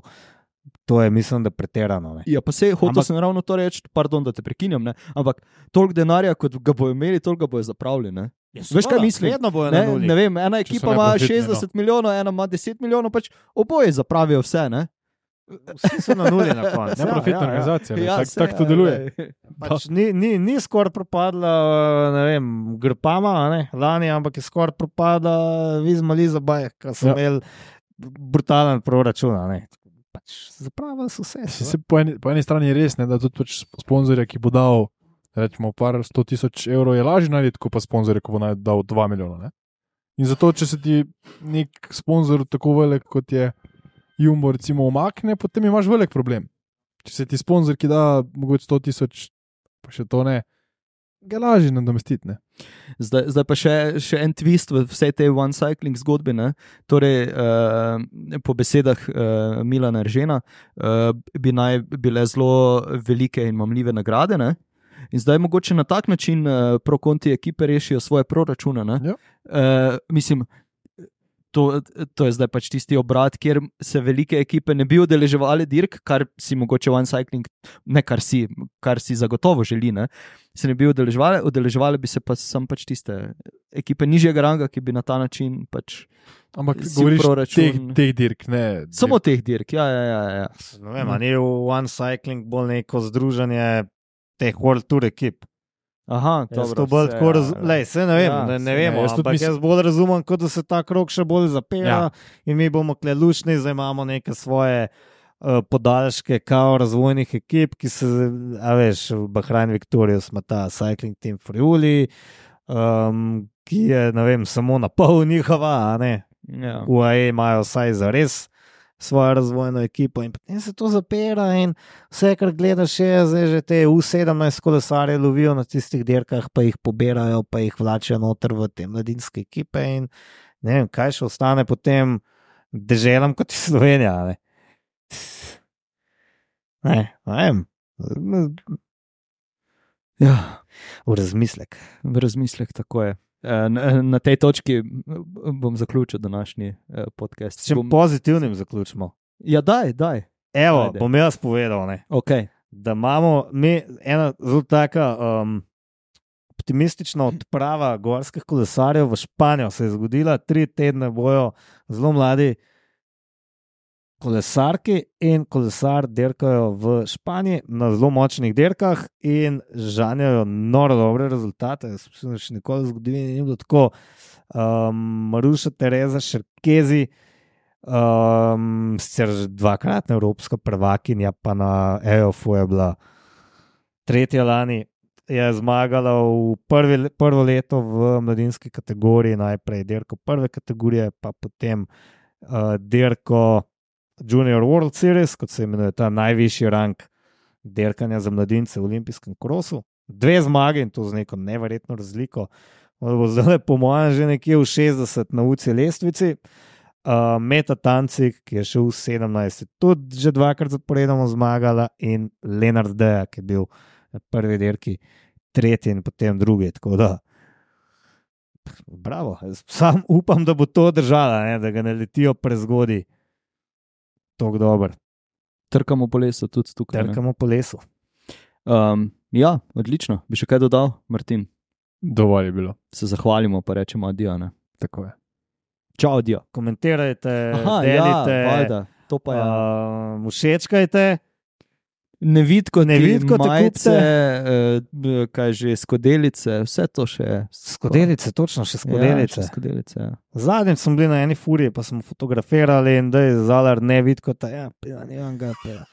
To je, mislim, da pretirano. Ne. Ja, pa se hotel Ampak- sem ravno to reči, pardon, da te prekinjam, ne? Ampak toliko denarja, kot ga bojo imeli, toliko ga bojo zapravili. Ne? Veš, kaj mislim? Vedno bojo Ne, na nuli. ne vem, ena so ekipa ima neprofitni, šestdeset milijonov, ena ima deset milijonov, pač oboje zapravijo vse. Ne? Vsi so na nuli na koncu. Neprofitna ja, ja. organizacija, ja, tako saj, tak to ja, deluje. lej. Pač ni, ni, ni skoraj propadla, ne vem, Grpama, a ne, lani, ampak je skoraj propadla Vizma Lizabaj, ki so Ja. imeli brutalen proračun. a ne. Pač zapravili so vse. Se, se po, eni, po eni strani je res, ne, da tudi pač sponzorja, ki bo dal rečemo, par sto tisoč evrov, je lažje najti, kot pa sponzorja, ki bo naj- dal dva milijona. Ne? In zato, če se ti nek sponzor tako velik, kot je Jumbo, recimo, umakne, potem imaš velik problem. Če se ti sponzor, ki da mogoče sto tisoč, pa še to ne, ga je lažje nadomestiti. ne. Zdaj, zdaj pa še, še en twist v vsej tej one cycling zgodbi. Ne? Torej, uh, po besedah uh, Milana Eržena uh, bi naj bile zelo velike in mamljive nagrade. Ne? In zdaj mogoče na tak način uh, pro-konti ekipe rešijo svoje proračune. ne? Ja. Uh, mislim, to, to je zdaj pač tisti obrat, kjer se velike ekipe ne bi udeleževali dirk, kar si mogoče one cycling, ne kar si, kar si zagotovo želi. Ne? Se ne bi udeleževali, udeleževali bi se pa sam pač tiste ekipe nižjega ranga, ki bi na ta način pač Ampak si govoriš proračun- teh, teh dirk, ne. samo teh dirk. Ja, ja, ja, ja. Ne vem, a ni v One Cycling bolj neko združenje teh World Tour ekip. Aha, Jaz dobro, to bolj se, tako ja, razumem. Lej, se ne vem, ja, ne, ne saj, vemo, jaz tudi ampak mislim- jaz bolj razumem, kot da se ta krok še bolj zapira Ja. in mi bomo klelučni, zdaj imamo neke svoje uh, podaljške, kao razvojnih ekip, ki se, a veš, v Bahrain Victorious ima ta Cycling Team Friuli, um, ki je, ne vem, samo na pol njihova, a ne. Ja. U A E imajo vsaj za res svojo razvojno ekipo in potem se to zapira in vse, kar gledaš, je zdaj že te U sedemnajst kolesarje lovijo na tistih dirkah, pa jih pobirajo, pa jih vlačijo noter v te mladinske ekipe in ne vem, kaj še ostane potem deželam kot je Slovenija. Ne, ne, ne vem. Ja. V razmislek. V razmislek, tako je. Eh, Na, na tej točki bom zaključil današnji eh, podcast. S čim Bom, pozitivnim zaključimo. ja, daj, daj. Evo, Ajde. bom jaz povedal, ne. Okay. Da imamo mi ena zelo taka um, optimistična odprava gorskih kolesarjev v Španijo. Se je zgodila, tri tedne bojo zelo mladi kolesarki in kolesar dirkajo v Španiji na zelo močnih dirkah in žanjajo noro dobre rezultate. Jaz mislim, da še nikoli v zgodovini ni bilo tako. Um, Maruša Tereza Šerkezi, um, sicer že dvakratna evropska prvakinja, pa na E O F-u je bila tretja lani, je zmagala v prvi, prvo leto v mladinski kategoriji, najprej dirko prve kategorije, pa potem uh, dirko Junior World Series, kot se imenuje ta najvišji rang dirkanja za mladince v olimpijskem krosu. Dve zmage in to z neko neverjetno razliko. Bo zdaj, po mojem, že nekje v šestdeset na U C I lestvici. Uh, Meta Tancik, ki je šel v sedemnajst, tudi že dvakrat zaporedoma zmagala, in Lenard Deja, ki je bil prvi dirki, tretji in potem drugi. Tako da, bravo. Sam upam, da bo to držala, ne? Da ga ne letijo prezgodi. Tako dober. Trkamo po lesu tudi tukaj. ne? Trkamo po lesu. Um, ja, odlično. Bi še kaj dodal, Martin? Dovolj je bilo. Se zahvalimo, pa rečemo adijo. Ne? Tako je. Čau, adijo. Komentirajte, Aha, delite, ja, valjda. To pa je. uh, všečkajte. Nevidko, Nevidko te majice, eh, kaj že, skodelice, vse to še je. Skodelice, točno še skodelice. Ja, še skodelice, ja. Zadnjič smo bili na eni furiji, pa smo fotografirali in da je zalar ne vidko, ta ja, pila, ne vem ga, pila.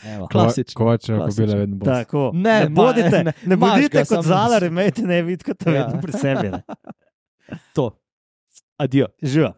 Evo. Klasično. Kovačeva klasično. kobila vedno bo. Tako, Ne, ne, ma- bodite, ne, ne, ne imaš bodite ga, kot samo- zalar, imejte ne vidko, ta Ja. vedno pri sebi. Ne. To. Adijo. Živa.